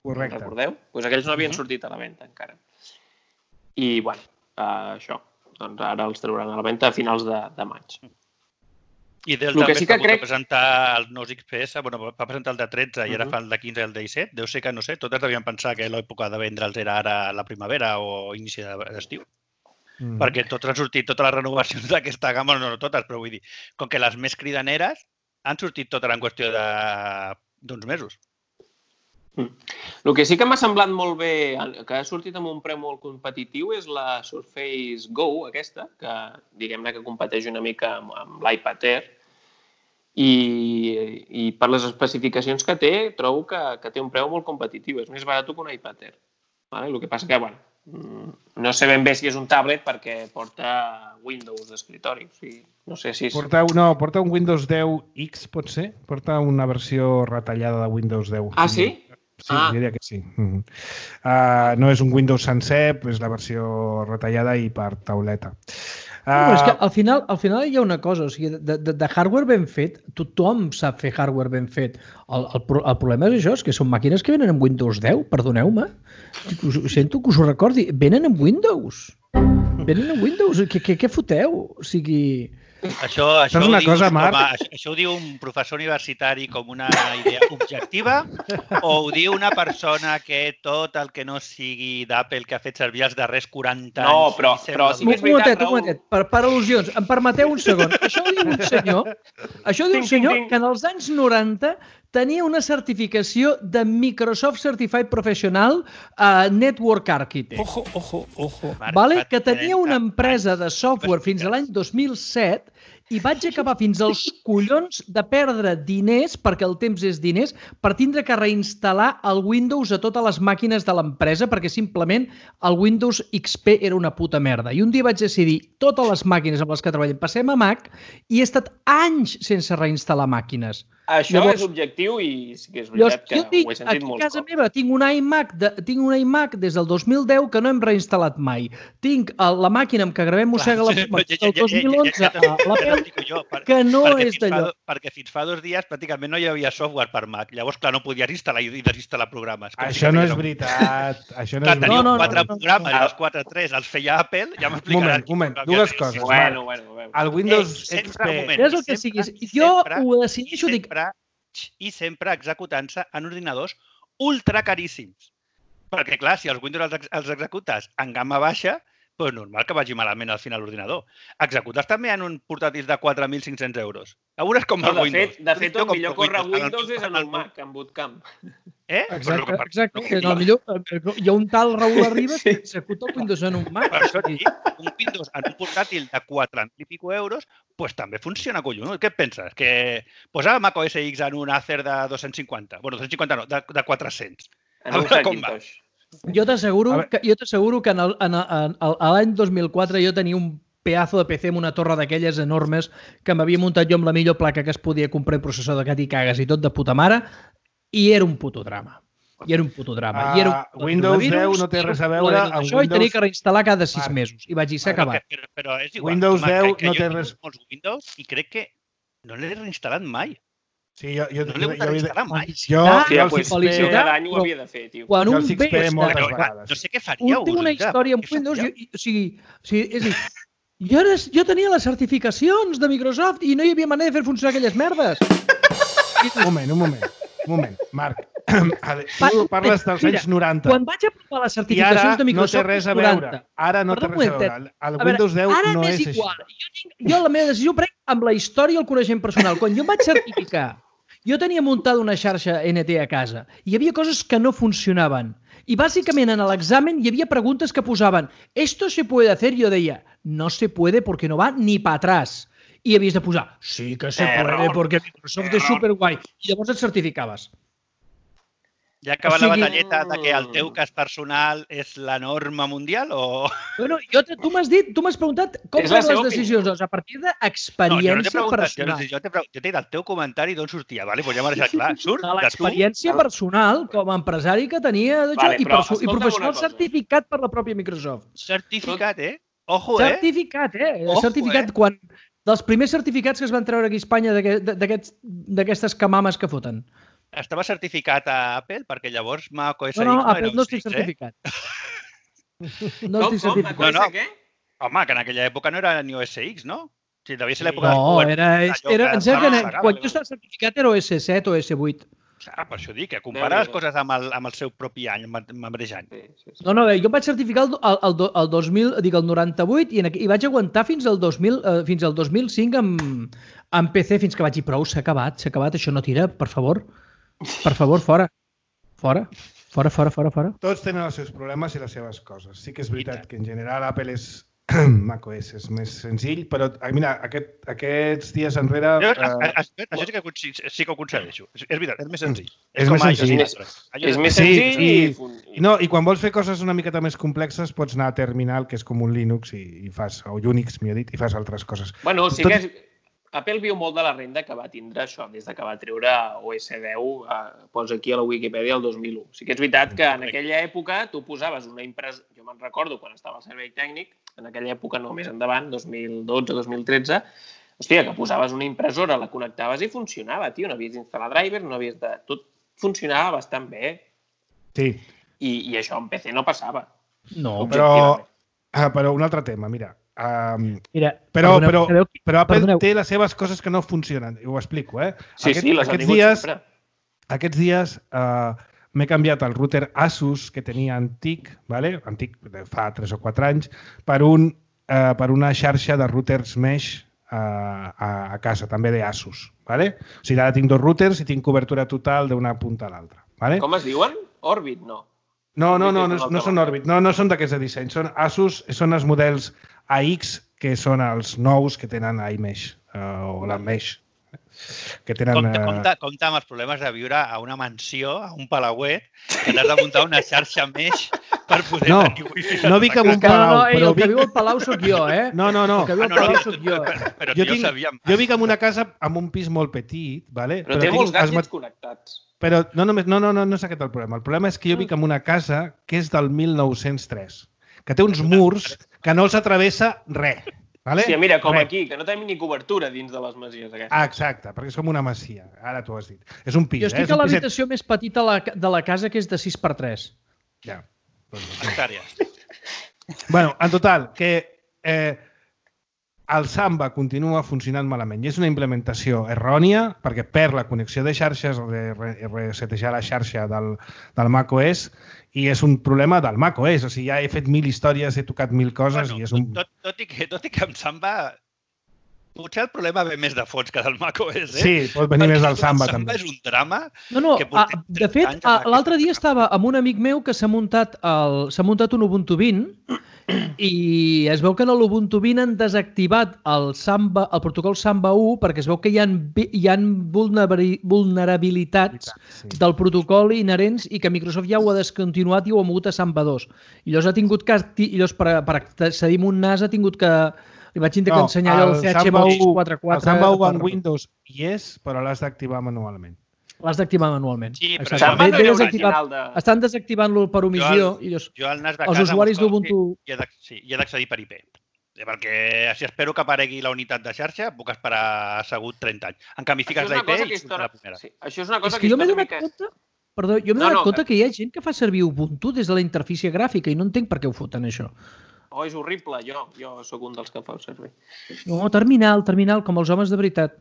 Correcte. Recordeu? Doncs aquells no havien sortit a la venda encara. I, bueno, uh, això. Doncs ara els trauran a la venda a finals de, de maig. I Dell Lo també que sí està que crec... a presentar els nous X P S, bueno, va presentar el de tretze i ara fa el de quinze i el de disset. Deu ser que, no sé, totes devien pensar que l'època de vendre'ls era ara a la primavera o inici d'estiu. Mm. Perquè tots han sortit, totes les renovacions d'aquesta gamma, no, no totes, però vull dir, com que les més cridaneres han sortit totes en qüestió d'uns mesos. Mm. El que sí que m'ha semblat molt bé, que ha sortit amb un preu molt competitiu, és la Surface Go, aquesta, que diguem-ne que competeix una mica amb, amb l'iPad Air, i, i per les especificacions que té, trobo que, que té un preu molt competitiu. És més barat que un iPad Air. Vale? El que passa que, bueno, no sé ben bé si és un tablet perquè porta Windows d'escritori. O sigui, no sé si és... Porta, no, porta un Windows deu X, pot ser? Porta una versió retallada de Windows deu. Ah, sí? Sí, ah. diria que sí. Mm. Uh, no és un Windows sencer, és la versió retallada i per tauleta. Uh... No, és que al final, al final hi ha una cosa, o sigui, de, de, de hardware ben fet, tothom sap fer hardware ben fet. El, el, el problema és això, és que són màquines que venen amb Windows deu, perdoneu-me. Sento que us ho recordi, venen amb Windows. Venen amb Windows, què, què, què foteu? O sigui... Això, això, una ho dius, cosa, Marc? a, això, això ho diu un professor universitari com una idea objectiva o ho diu una persona que tot el que no sigui d'Apple que ha fet servir els darrers quaranta anys... No, però, però sí que és veritat, Raül. Un momentet, per, per al·lusions, em permeteu un segon. Això ho diu un senyor, això ho diu un senyor que en els anys noranta tenia una certificació de Microsoft Certified Professional uh, Network Architect. Ojo, ojo, ojo. Vale? Que tenia una empresa de software fins a l'any dos mil set i vaig acabar fins als collons de perdre diners, perquè el temps és diners, per tindre que reinstal·lar el Windows a totes les màquines de l'empresa, perquè simplement el Windows X P era una puta merda. I un dia vaig decidir, totes les màquines amb les que treballem passem a Mac, i he estat anys sense reinstal·lar màquines. Això llavors, és objectiu i sí que és veritat que tinc, ho he sentit molt. A casa meva tinc un iMac, de, tinc un iMac des del dos mil deu que no hem reinstal·lat mai. Tinc el, la màquina amb què gravem Mossega la Poma del dos mil onze a l'Apple, que no és d'allò. Perquè fins fa dos dies pràcticament no hi havia software per Mac. Llavors, clar, no podies instal·lar i desinstal·lar programes. Això no és veritat. Això no és veritat. Teniu quatre programes i els quatre tres els feia Apple, ja m'explicaràs. Un moment, un moment. Dues coses. Bueno, bueno, bueno. El Windows X P... És el que siguis. Jo ho decideixo, dic... i sempre executant-se en ordinadors ultra caríssims. Perquè, clar, si els Windows els, els executes en gamma baixa, doncs normal que vagi malament al final l'ordinador. Executes també en un portàtil de quatre mil cinc-cents euros. A veure com el no, de Windows. Fet, de fet, el millor corre Windows és en el Mac, en Bootcamp. Eh? Exacte, exacte. No, millor, hi ha un tal Raül Arribas que executa el Windows en un Mac. Per això, un Windows en un portàtil de quatre mil i pico euros, pues també funciona collonut. Què et penses? Que posar Mac O S X en un Acer de dos-cents cinquanta? Bueno, dos-cents cinquanta no, de, de quatre-cents. En un Hackintosh. Jo t'asseguro que, jo t'asseguro que en el, en el, en l'any dos mil quatre jo tenia un pedazo de P C amb una torre d'aquelles enormes que m'havia muntat jo amb la millor placa que es podia comprar i processor de cat i cagues i tot de puta mare, i era un puto drama. I era un puto drama. Uh, I era un Windows deu no té res a veure amb això Windows... i tenia que reinstal·lar cada sis Marc. mesos. I vaig dir, s'ha acabat. Però, però és igual. Windows deu que, que no té res... molts Windows i crec que no l'he reinstal·lat mai. Sí, jo, jo, no l'he hagut de reinstal·lar mai. Jo, ah, jo, ja, jo pues, cada any ho havia de fer, tio. Quan jo un el X P ve... moltes però, vegades. no sé què faríeu. Un té una història amb Windows... Jo, o sigui, o sigui, és dir, jo, era, jo tenia les certificacions de Microsoft i no hi havia manera de fer funcionar aquelles merdes. Un moment, un moment. Un moment, Marc. Tu parles dels anys noranta. Quan vaig aprovar les certificacions de Microsoft... I ara no té res a veure. Ara no té res a veure. El Windows deu no és així. Jo, jo la meva decisió prenc amb la història i el coneixement personal. Quan jo em vaig certificar, jo tenia muntada una xarxa N T a casa i hi havia coses que no funcionaven. I bàsicament en l'examen hi havia preguntes que posaven «Esto se puede hacer?» I jo deia «No se puede porque no va ni para atrás». I havies de posar «Sí que se puede porque Microsoft és superguai». I llavors et certificaves. Ja acaba O sigui- la batalleta de que el teu cas personal és la norma mundial o... Bueno, jo, te- tu m'has dit, tu m'has preguntat com És la fan les seva decisions, doncs a partir No, jo no t'he d'experiència preguntat, jo, personal. jo t'he pre- jo t'he dit el teu comentari d'on sortia, vale? Pues ja m'ha deixat clar. Surt De de tu, l'experiència personal com a empresari que tenia d'això Vale, i, però perso- i escolta'm professional una cosa. certificat per la pròpia Microsoft. certificat, eh? Ojo, eh? Certificat, eh? Ojo, certificat eh? quan... Dels primers certificats que es van treure aquí a Espanya d'aquest- d'aquests- d'aquestes camames que foten. Estava certificat a Apple perquè llavors macOS No, no, X Apple era no un estic X, eh? certificat. No Com, estic com? certificat. No, no. No, què? Home, que en aquella època no era ni O S X, no? O sigui, devia ser l'època No, dels era, allò era, que em sembla que estava en- legal. quan jo estava certificat era O S set o O S vuit. Clar, per això dic, que compara les Déu-n'hi-do. coses amb el, amb el seu propi any, amb, amb el mateix any. Sí, sí, sí. No, no, jo em vaig certificar el, el, el, do- el dos mil, dic, el noranta-vuit i, en, aqu- i vaig aguantar fins al dos mil, eh, fins al dos mil cinc amb, amb P C, fins que vaig dir, prou, s'ha acabat, s'ha acabat, això no tira, per favor. Per favor, fora. Fora. Fora, fora, fora, fora. Tots tenen els seus problemes i les seves coses. Sí que és veritat que en general Apple és macOS és més senzill, però ah, mira, aquest, aquests dies enrere... Jo, eh, a- a- Això sí que, consi- sí que ho concedeixo. És, és veritat, és més senzill. És com més iOS senzill. i altres. iOS És més Sí, senzill sí. i... fun- I, no, I quan vols fer coses una miqueta més complexes pots anar a Terminal, que és com un Linux, i, i fas, o Unix, millor dit, i fas altres coses. Bueno, sí Tot- que és... Apple viu molt de la renda que va tindre això, des de que va treure O S deu, eh, posa aquí a la Wikipedia el dos mil u. Sí que és veritat que en aquella època tu posaves una impresa... Jo me'n recordo quan estava al servei tècnic, en aquella època no més endavant, dos mil dotze, dos mil tretze, hòstia, que posaves una impressora, la connectaves i funcionava, tio. No havies d'instal·lar drivers, no havies de... Tot funcionava bastant bé. Sí, I, i això en P C no passava. No, però, Objectivament. ah, però un altre tema, mira. Um, mira, però, perdoneu, però, sabeu qui- però Apple perdoneu. té les seves coses que no funcionen. I ho explico, eh? Sí, sí, les han aquests tingut dies, sempre. Aquests dies uh, m'he canviat el router Asus que tenia antic, vale? antic de fa tres o quatre anys, per, un, uh, per una xarxa de routers mesh uh, a, a casa, també d'Asus. Vale? O sigui, ara tinc dos routers i tinc cobertura total d'una punta a l'altra. Vale? Com es diuen? Orbit, no. No, no, no, no, Orbit és una no altra són marca. Orbit, no, no són d'aquests de disseny, són Asus, són els models A X, que són els nous que tenen iMesh, uh, o la Mesh, que tenen... Compte, eh, compte, compte amb els problemes de viure a una mansió, a un palauet, que t'has de muntar una xarxa mesh per poder No, tenir wifi. no dic amb un Que no, no, palau, ei, però el que vic... viu al Palau sóc jo, eh? No, no, no. El que viu Ah, al no, no, Palau no, sóc jo. però, però Jo jo tinc- sabíem. Jo vic en una casa amb un pis molt petit, vale? Però, té tinc molts els gadgets mat- connectats. Però no, només, no, no, no, no és aquest el problema. El problema és que jo vic en una casa que és del mil nou-cents tres, que té uns murs que no els atravessa res. Vale? Sí, mira, com Res. aquí, que no tenim ni cobertura dins de les masies aquestes. Ah, exacte, perquè és com una masia. Ara t'ho has dit. És un pis, Jo eh? estic És a un piset. l'habitació més petita de la, de la casa, que és de sis per tres. Ja. Doncs, Hectàrees. bueno, en total, que eh, el Samba continua funcionant malament i és una implementació errònia perquè perd la connexió de xarxes o de re resetejar la xarxa del, del macOS i és un problema del macOS. O sigui, ja he fet mil històries, he tocat mil coses Bueno, i és un... tot, tot, i que, tot i que em Samba... Potser el problema ve més de fons que del macOS, eh? Sí, pot venir més del Samba, el Samba també. és un drama. No, no, Que a, portem de trenta fet, anys amb a- l'altre dia estava amb un amic meu que s'ha muntat, el- s'ha muntat un Ubuntu vint i es veu que en l'Ubuntu vint han desactivat el, Samba, el protocol Samba u perquè es veu que hi ha, hi ha vulnerabilitats Sí. del protocol inherents i que Microsoft ja ho ha descontinuat i ho ha mogut a Samba dos. I llavors ha tingut que, i llavors per, per accedir a un N A S ha tingut que... Li vaig intentar No, ensenyar allò el del C H Samba Box u- quaranta quatre. El Samba u en per- Windows hi és, però l'has d'activar manualment. L'has d'activar manualment. Sí, però Exacte. Samba Ve- no ve era desactivat- original de... Estan desactivant-lo per omissió i llavors, Jo al N A S de els casa... usuaris busco- d'Ubuntu... I he d'ac- sí, i he d'accedir per I P. Sí, perquè si espero que aparegui la unitat de xarxa, puc esperar assegut trenta anys. En canvi, Això fiques és una la I P cosa i que surt a la primera. Sí, això és una cosa És que jo m'he històricament- donat compte... Perdó, jo m'he No, donat no, compte que hi ha gent que fa servir Ubuntu des de la interfície gràfica i no entenc per què ho foten, això. Oh, és horrible, jo. Jo sóc un dels que fa servir. No, terminal, terminal, com els homes de veritat.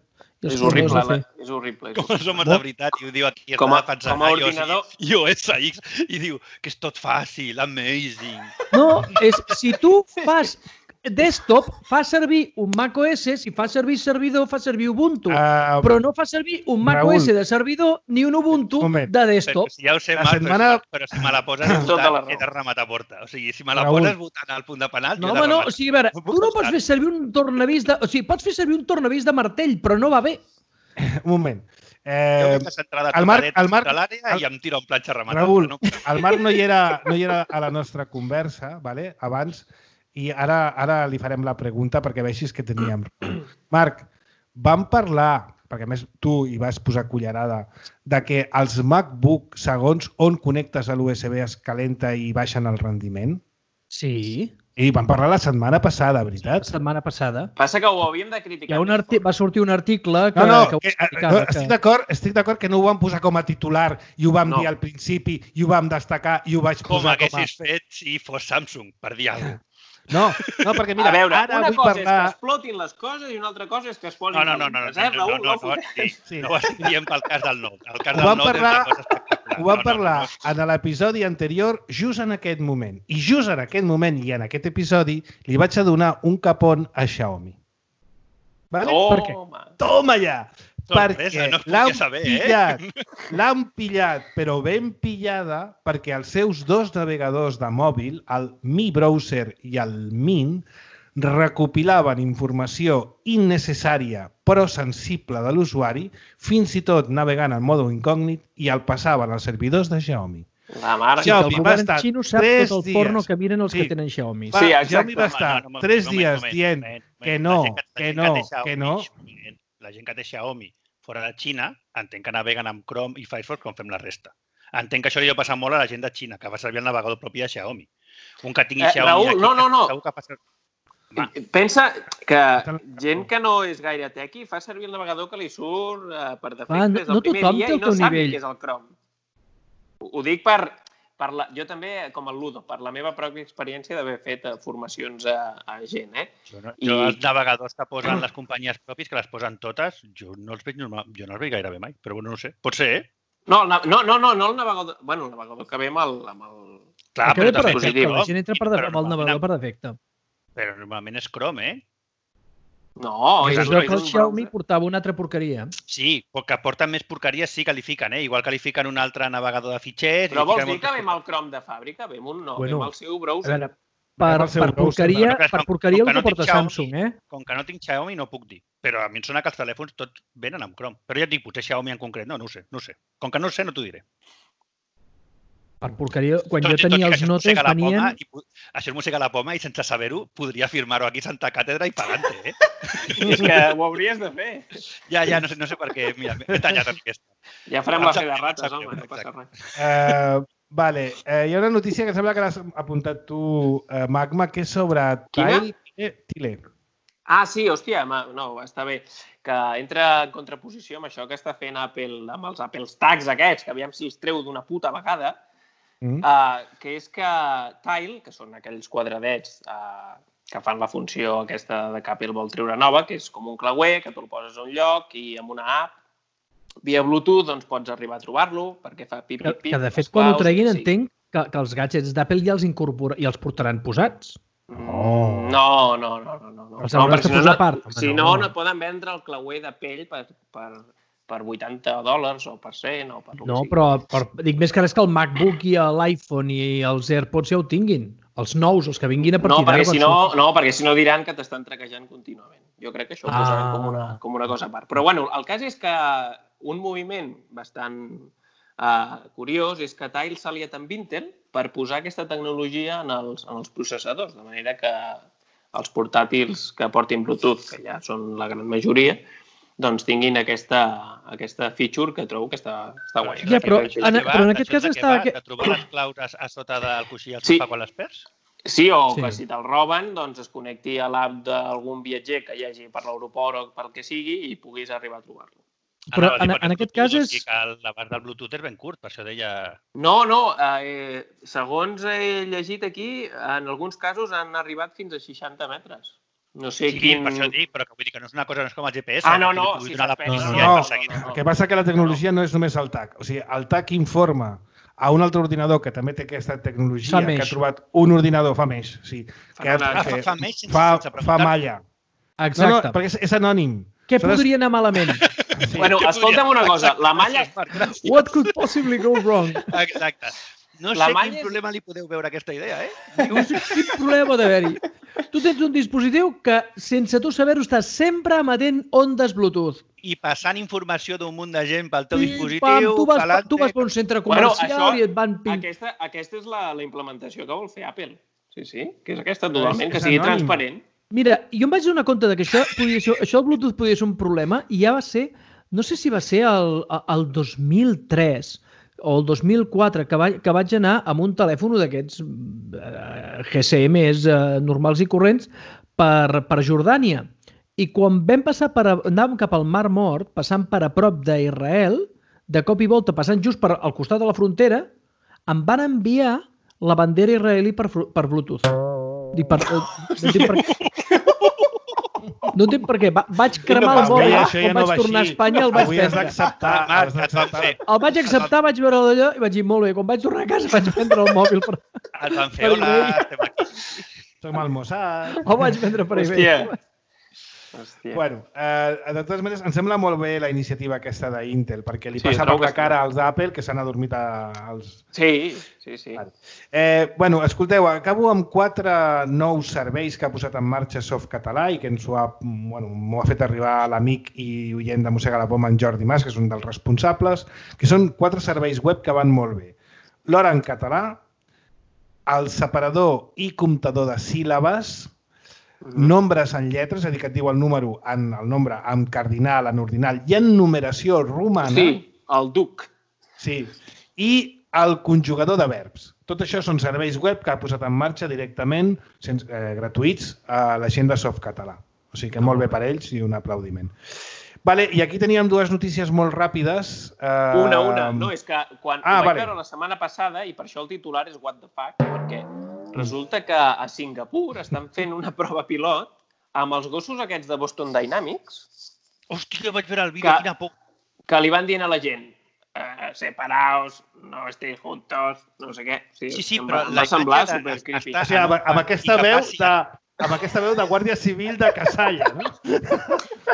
I els És formadors horrible, de la... fer. és horrible. És Com els horrible. homes de veritat, i ho diu aquí, Com a- està defensant com a iOS ordinador. i O S X, i diu que és tot fàcil, amazing. No, és, si tu fas desktop, fa servir un macOS, si fa servir servidor, fa servir Ubuntu. Uh, Però no fa servir un macOS Raül. de servidor ni un Ubuntu Moment. de Però desktop. si ja ho sé, La Marc, setmana- però, però si me la poses Tens tota la votant, raó. he de rematar porta. O sigui, si me la Raül. poses votant al punt de penal, No, jo he de home, no, rematar. o sigui, a veure, No tu puc no pots estar. fer servir un tornavís de... O sigui, pots fer servir un tornavís de martell, però no va bé. un moment. Jo Eh, veig les entrades el Marc- tocadetes el Marc- de l'àrea el- i em tira un planxa rematat. Raül, No? el Marc no hi era, no hi era a la nostra conversa, vale? Abans, i ara, ara li farem la pregunta perquè vegis que teníem. Marc, vam parlar, perquè a més tu hi vas posar cullerada, de que els MacBook, segons on connectes a l'U S B, es calenta i baixen el rendiment? Sí, I vam parlar la setmana passada, la veritat? setmana passada. Passa que ho havíem de criticar. Hi ha un més arti... fort. Va sortir un article que, No, no, que ho que, explicava. no estic d'acord estic d'acord que no ho vam posar com a titular i ho vam No. dir al principi i ho vam destacar i ho vaig Com posar com a... haguessis fet si fos Samsung, per dir alguna cosa. No, no, perquè mira, a veure, ara una vull cosa parlar... és que explotin les coses i una altra cosa és que es posin No, no, no, no, no, calentes, eh, no, Raül? no, no, no, fotem. sí, Sí. no ho estic dient pel cas del Note. El cas Ho del vam Note parlar- és una cosa espectacular. Ho vam No, no, parlar no, no. en l'episodi anterior just en aquest moment. I just en aquest moment i en aquest episodi li vaig a donar un capon a Xiaomi. Vale? Per què? Toma. Toma ja! Sorpresa, perquè no es podia l'han saber, eh? pillat, l'han pillat, però ben pillada, perquè els seus dos navegadors de mòbil, el Mi Browser i el Mint, recopilaven informació innecessària però sensible de l'usuari, fins i tot navegant en mode incògnit, i el passaven als servidors de Xiaomi. La mare. Ja, El va govern estar xino sap tres tot el dies. porno que miren els Sí. que tenen Xiaomi. Va, Sí, Xiaomi exacte. va estar No, no, no, tres moment, dies moment, dient moment, moment. que La no, gent que la gent no, té Xiaomi, que no. moment, La gent que té Xiaomi fora de Xina entenc que naveguen amb Chrome i Firefox com fem la resta. Entenc que això li deu passar molt a la gent de Xina, que va servir el navegador propi de Xiaomi. Un que tingui Eh, Xiaomi Raül, aquí, no, no, no. segur que passa... Va. Pensa que gent que no és gaire tequi fa servir el navegador que li surt eh, per defecte Clar, no- des del no primer tothom dia té i el no teu sap nivell. què és el Chrome. Ho, ho dic per, per la, jo també, com el Ludo, per la meva pròpia experiència d'haver fet eh, formacions a, a gent, eh? Jo, no, I- jo els navegadors que posen les companyies propis, que les posen totes, jo no els veig normal, jo no els veig gairebé mai, però bueno, no ho sé. Pot ser, eh? No, el na- no, no, no, no el navegador... Bueno, el navegador que ve amb el... Amb el... Clar, Que ve per també defecte, positiu, la gent entra per, però amb el normalment- navegador per defecte. Però normalment és Chrome, eh? No, I és, es un- veu és que el un Xiaomi browser. portava una altra porqueria. Sí, que porten més porqueries sí qualifiquen, eh? Igual qualifiquen un altre navegador de fitxers... Però i vols fiquen dir que ve moltes amb el Chrome de fàbrica? Ve amb un no, Bueno, ve amb el seu A browser. veure, per, Amb el seu per browser, porqueria, però que per com- porqueria com el que que no porta tinc Xiaomi, Samsung, eh? Com que no tinc Xiaomi no puc dir. Però a mi em sona que els telèfons tots venen amb Chrome. Però ja et dic, potser Xiaomi en concret, no, no ho sé, no ho sé. Com que no ho sé, no t'ho diré. Per porqueria, quan Tot jo i- tot i tenia que els això es notes mossega la venien... poma i pu- Això es mossega la poma i sense saber-ho podria firmar-ho aquí a Santa Càtedra i pagant eh? És que ho hauries de fer. Ja, ja, no sé, no sé per què. Mira, m'he tallat amb aquesta. Ja farem la fe de rates, home, no passa res. Eh, vale, eh, hi ha una notícia que sembla que l'has apuntat tu, eh, Magma, que és sobre Quina? Tile Tile. Ah, sí, hòstia, ma- no, està bé. Que entra en contraposició amb això que està fent Apple, amb els Apple Tags aquests, que aviam si es treu d'una puta vegada, Mm. uh, que és que Tile, que són aquells quadradets uh, que fan la funció aquesta de que Apple vol treure nova, que és com un clauer, que tu el poses a un lloc i amb una app, via Bluetooth, doncs pots arribar a trobar-lo, perquè fa pip, Que, pip, pip. que de fet, les quan ho claus, treguin, sí. entenc que, que els gadgets d'Apple ja els incorpora i els portaran posats. Oh. No, no, no, no. no. Els hauràs perquè de si no, posar a no- part. Home, Si no. no, no poden vendre el clauer de pell per, per, per vuitanta dòlars o per cent o per lo que No, sigui. però per, dic més que res que el MacBook i l'iPhone i els AirPods ja ho tinguin. Els nous, els que vinguin a No, partir perquè d'ara. si quan no, surtin. no, perquè si no diran que t'estan traquejant contínuament. Jo crec que això ho Ah. posaran com una, com una cosa a part. Però bueno, el cas és que un moviment bastant uh, curiós és que Tile s'ha aliat amb Intel per posar aquesta tecnologia en els, en els processadors, de manera que els portàtils que portin Bluetooth, que ja són la gran majoria, doncs tinguin aquesta, aquesta feature que trobo que està, està guai. Ja, però Això és en- de què va? però en aquest Això és cas de què està- va? De trobar les claus a, a sota del coixí al Sí. sofà quan les perds? Sí, o Sí. que si te'l roben, doncs es connecti a l'app d'algun viatger que hi hagi per l'aeroport o pel que sigui i puguis arribar a trobar-lo. Però Anava a dir, en- perquè en aquest Bluetooth, cas o és- sigui que el- l'abast del Bluetooth és ben curt, per això deia... No, no, eh, segons he llegit aquí, en alguns casos han arribat fins a seixanta metres. No sé Sí, quin... per això dic, però que vull dir que no és una cosa, no és com el G P S. Ah, no, que no, li pugui si donar la s'espera, policia no, i no, perseguir. no, no. El que passa que la tecnologia no és només el T A C. O sigui, el T A C informa a un altre ordinador que també té aquesta tecnologia, Fa que més. ha trobat un ordinador, fa més, sí, Fa que, ha- una- Ah, que fa, fa més sense, fa, sense fa preguntar. malla. No, no, Exacte. perquè és, és anònim. Què S'ha de- podria anar malament? Bueno, Què escolta'm podria- una cosa, la malla... Gràcies, Marc, gràcies. What could possibly go wrong? Exacte. No La sé malla quin és- problema li podeu veure a aquesta idea, eh? No sé quin problema pot haver-hi. Tu tens un dispositiu que, sense tu saber-ho, està sempre emetent ondes Bluetooth. I passant informació d'un munt de gent pel teu Pim, dispositiu, pam, tu, vas, calante... tu vas per un centre Bueno, comercial això- i et van pim. Aquesta, aquesta és la, la implementació que vol fer Apple. Sí, sí, que és aquesta totalment, és- que és sigui anònim. transparent. Mira, jo em vaig donar compte de que això, podia ser, això del Bluetooth podia ser un problema i ja va ser, no sé si va ser el, el dos mil tres o el dos mil quatre, que, va, que vaig anar amb un telèfon d'aquests eh, G S Ms eh, normals i corrents per, per Jordània. I quan vam passar per, anàvem cap al Mar Mort, passant per a prop d'Israel, de cop i volta, passant just per al costat de la frontera, em van enviar la bandera israelí per, fru- per Bluetooth. Dic, per, eh, no entenc per què. No entenc per què. Va, vaig cremar el Avui mòbil, això ja quan no vaig va tornar a així. Espanya el vaig Avui has vendre. d'acceptar. Ah, has et van d'acceptar. fer, El vaig acceptar, vaig veure d'allò i vaig dir, molt bé, quan vaig tornar a casa vaig vendre el mòbil per... et van fer, hola, estem aquí. Som al Mossad. El vaig vendre per eBay. Hòstia. Hòstia. Bueno, eh, de totes maneres, em sembla molt bé la iniciativa aquesta d'Intel, perquè li Sí, passa per trobo la que cara als d'Apple, que s'han adormit a- als... Sí, sí, sí. Vale. Eh, bueno, escolteu, acabo amb quatre nous serveis que ha posat en marxa Softcatalà i que ens ho ha, bueno, m'ho ha fet arribar l'amic i oient de Mossega la Poma, en Jordi Mas, que és un dels responsables, que són quatre serveis web que van molt bé. L'hora en català, el separador i comptador de síl·labes, nombres en lletres, és a dir, que et diu el número en el nombre en cardinal, en ordinal i en numeració romana. Sí, el duc. Sí. I el conjugador de verbs. Tot això són serveis web que ha posat en marxa directament, sense, eh, gratuïts, a la gent de Softcatalà. O sigui que molt bé per ells i un aplaudiment. Vale, i aquí teníem dues notícies molt ràpides. Eh, Una, una. No, és que quan Ah, ho vaig vale. veure la setmana passada, i per això el titular és What the fuck, perquè resulta que a Singapur estan fent una prova pilot amb els gossos aquests de Boston Dynamics Hòstia, vaig veure el vídeo, Que- quina por. que li van dient a la gent eh, separaos, no estéis juntos, no sé què. Sí, Sí, sí, em però va, em la va semblar imatge de- super creepy. està- O sigui, amb, amb, aquesta I que veu passi- de, amb aquesta veu de Guàrdia Civil de Casalla, no?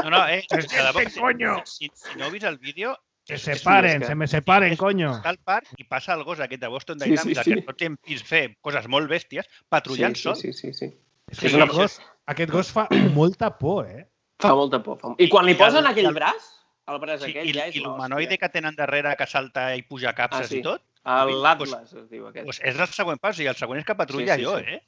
No, no, eh, de debò, ¿Qué coño? si, si no heu vist el vídeo, Que és- se és- paren, que- se me separen, coño. està al parc i passa el gos aquest de Boston Sí, Dynamics, sí, sí. que tots hem vist fer coses molt bèsties, patrullant sí, sol. sí, sí, sí, sí. És És que una aquest, gos, aquest gos fa molta por, eh? Fa molta por. Fa... I quan li I posen el- aquell i el- braç, el braç Sí, aquell i, ja és i l'hòstia. l'humanoide que tenen darrere que salta i puja capses Ah, sí. i tot, El L'Atlas es diu aquest. doncs és el següent pas, i el següent és que patrulla Sí, sí, allò, sí. eh?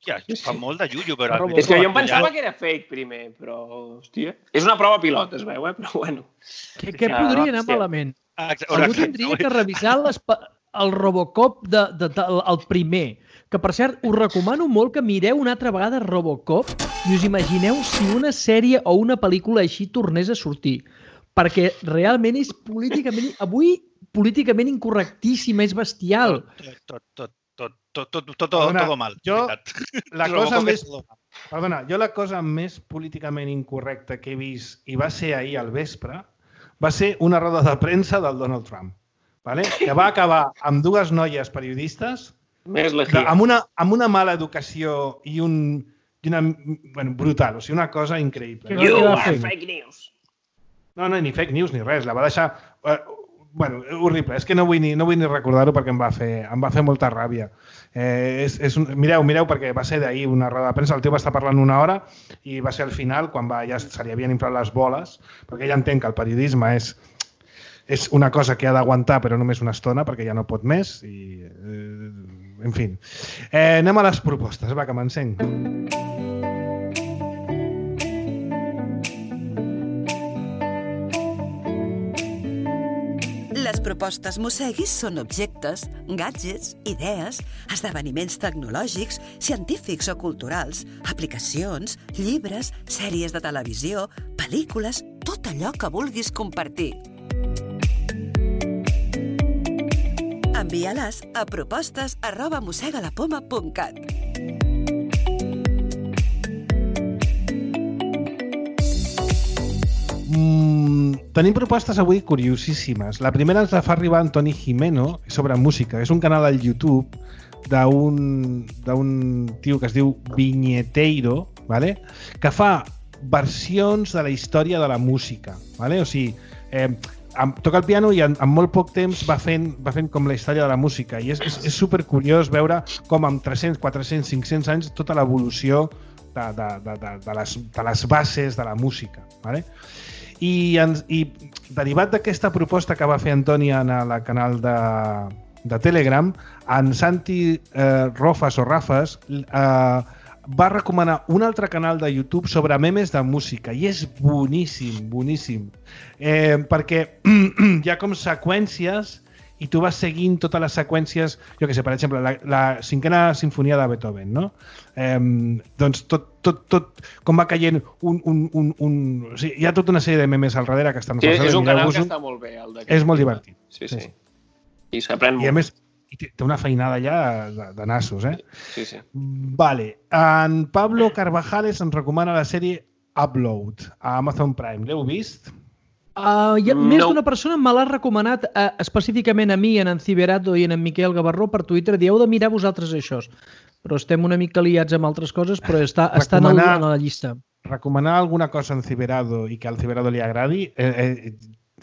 Hòstia, Sí, sí. fa molt de llullo, però... Robocop. És que jo em patrullar- pensava que era fake primer, però, hòstia... És una prova pilot, es veu, eh? Però bueno. Què, què Ah, podria anar hòstia. malament? Ah, exa- Algú exacte, tindria que revisar les, pa- el Robocop de, de, de, el primer. Que, per cert, us recomano molt que mireu una altra vegada Robocop i us imagineu si una sèrie o una pel·lícula així tornés a sortir. Perquè realment és políticament... Avui, políticament incorrectíssima, és bestial. Tot, tot, tot, tot, tot, tot, tot, Perdona, todo mal. jo- veritat. La Robocop cosa és més... todo mal. Perdona, jo la cosa més políticament incorrecta que he vist, i va ser ahir al vespre, va ser una roda de premsa del Donald Trump, vale? Que va acabar amb dues noies periodistes Més de, legia. amb, una, amb una mala educació i, un, i una... Bueno, brutal, o sigui, una cosa increïble. Que No? You Què va are fer? fake news. No, no, ni fake news ni res, la va deixar... Eh, bueno, horrible, és que no vull ni, no vull ni recordar-ho perquè em va fer, em va fer molta ràbia. Eh, és, és un, mireu, mireu, perquè va ser d'ahir una roda de premsa, el tio va estar parlant una hora i va ser al final, quan va, ja se li havien inflat les boles, perquè ell entén que el periodisme és, és una cosa que ha d'aguantar però només una estona perquè ja no pot més i, eh, en fi. Eh, anem a les propostes, va, que m'encenc. Les propostes Mosseguis són objectes, gadgets, idees, esdeveniments tecnològics, científics o culturals, aplicacions, llibres, sèries de televisió, pel·lícules, tot allò que vulguis compartir. Envia-les a propostes arroba mossegalapoma punt cat. Mm, tenim propostes avui curiosíssimes. La primera ens la fa arribar Antoni Jimeno sobre música. És un canal al YouTube d'un d'un tio que es diu Viñeteiro, ¿vale? Que fa versions de la història de la música, ¿vale? O sigui, eh, toca el piano i en, en molt poc temps va fent, va fent com la història de la música i és, és, és supercuriós veure com amb tres-cents, quatre-cents, cinc-cents anys tota l'evolució de, de, de, de, de, les, de les bases de la música. Vale? I, ens, I derivat d'aquesta proposta que va fer Antònia en el canal de, de Telegram, en Santi eh, Rofas o Rafas eh, va recomanar un altre canal de YouTube sobre memes de música i és boníssim, boníssim. Eh, perquè hi ha com seqüències i tu vas seguint totes les seqüències, jo què sé, per exemple, la, la cinquena sinfonia de Beethoven, no? Eh, doncs tot, tot, tot com va caient un... un, un, un... O sigui, hi ha tota una sèrie de memes al darrere que estan... Sí, és un canal que està molt bé. El és molt divertit. Sí, sí. sí. I s'aprèn molt. I a més, té una feinada ja de, de nassos, eh? Sí, sí. Vale. En Pablo Carvajales ens recomana la sèrie Upload a Amazon Prime. L'heu vist? Uh, hi ha No. més d'una persona me l'ha recomanat uh, específicament a mi, en en Ciberato i en en Miquel Gavarró per Twitter. Dieu de mirar vosaltres això. Però estem una mica liats amb altres coses, però està, està en, el, Recomanar- en la llista. Recomanar alguna cosa en Ciberado i que al Ciberado li agradi, eh, eh,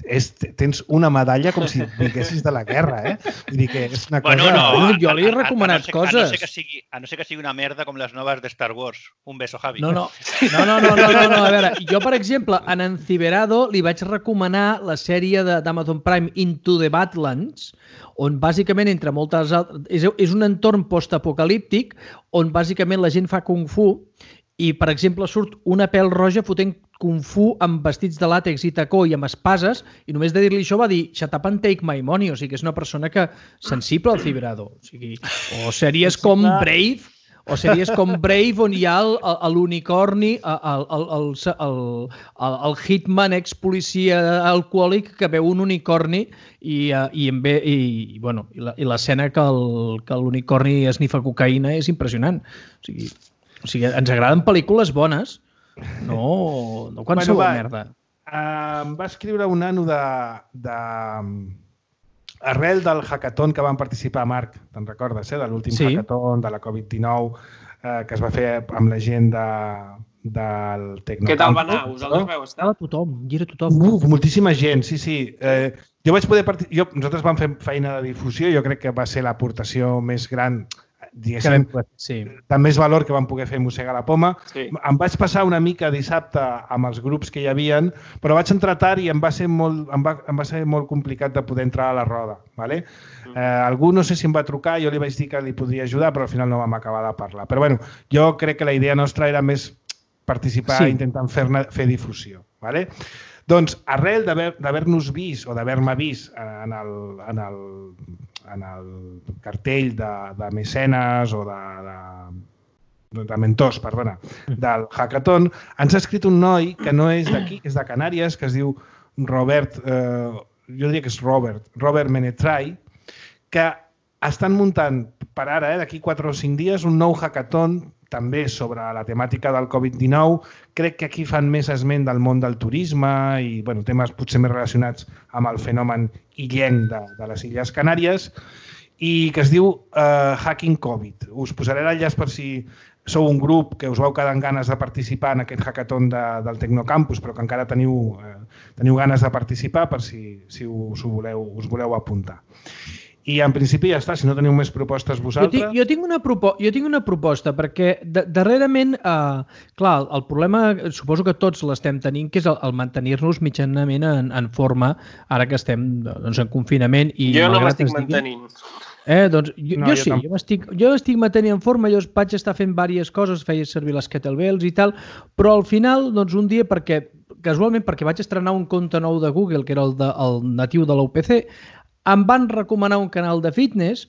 és, tens una medalla com si vinguessis de la guerra, eh? Vull dir que és una cosa... Bueno, no, jo li he a- a- a- recomanat a no ser- coses. A no, ser que sigui, a no ser que sigui una merda com les noves de Star Wars. Un beso, Javi. No, no, no, no, no, no, no, no. A veure, jo, per exemple, en en Ciberado li vaig recomanar la sèrie de- d'Amazon Prime Into the Badlands, on bàsicament, entre moltes altres... És, és un entorn postapocalíptic on bàsicament la gent fa kung fu i, per exemple, surt una pèl roja fotent kung fu amb vestits de làtex i tacó i amb espases, i només de dir-li això va dir shut up and take my money, o sigui que és una persona que sensible al Ciberado. O sigui, o sèries com Brave, o sèries com Brave on hi ha el- el- l'unicorni, el, el, el, el, el, el hitman ex-policia alcohòlic que veu un unicorni i, eh, i, en ve, i, i, bueno, i la- i l'escena que el- que l'unicorni esnifa cocaïna és impressionant. O sigui, o sigui, ens agraden pel·lícules bones, no, no qualsevol Bueno, va. merda. Uh, em va escriure un nano de, de... arrel del hackathon que van participar, Marc, te'n recordes, eh? De l'últim Sí. hackathon de la covid dinou eh, que es va fer amb la gent de, del Tecnocampus. Què tal va anar? Vosaltres veu estar? Estava tothom, hi era tothom. Uh, moltíssima gent, sí, sí. Eh, jo vaig poder partic- jo, nosaltres vam fer feina de difusió, jo crec que va ser l'aportació més gran, diguéssim, Sí. de més valor que vam poder fer Mossegar la Poma. Sí. Em vaig passar una mica dissabte amb els grups que hi havien, però vaig entrar tard i em va ser molt, em va, em va ser molt complicat de poder entrar a la roda. Vale? Eh, algú no sé si em va trucar, jo li vaig dir que li podria ajudar, però al final no vam acabar de parlar. Però bueno, jo crec que la idea nostra era més participar Sí. intentant fer, fer difusió. Vale? Doncs, arrel d'haver- d'haver-nos vist o d'haver-me vist en el, en el, en el cartell de, de mecenes o de, de, de mentors, perdona, del hackathon, ens ha escrit un noi que no és d'aquí, que és de Canàries, que es diu Robert, eh, jo diria que és Robert, Robert Menetrai, que estan muntant per ara, eh, d'aquí quatre o cinc dies, un nou hackathon també sobre la temàtica del covid dinou. Crec que aquí fan més esment del món del turisme i bueno, temes potser més relacionats amb el fenomen illenc de, de les Illes Canàries i que es diu uh, Hacking Covid. Us posaré l'enllaç per si sou un grup que us vau quedar amb ganes de participar en aquest hackathon de, del Tecnocampus, però que encara teniu, eh, teniu ganes de participar per si, si us, ho voleu, us voleu apuntar. I en principi ja està, si no teniu més propostes Jo vosaltres... tinc, jo, tinc una propo jo tinc una proposta, perquè de darrerament, eh, clar, el problema, suposo que tots l'estem tenint, que és el, el mantenir-nos mitjanament en, en forma, ara que estem doncs, en confinament. I Jo no malgrat m'estic es digui- mantenint. Eh, doncs, jo, No, jo, jo sí, tampoc. jo m'estic jo estic mantenint en forma, jo vaig estar fent diverses coses, feia servir les kettlebells i tal, però al final, doncs un dia, perquè casualment perquè vaig estrenar un compte nou de Google, que era el, de, el natiu de l'U P C, em van recomanar un canal de fitness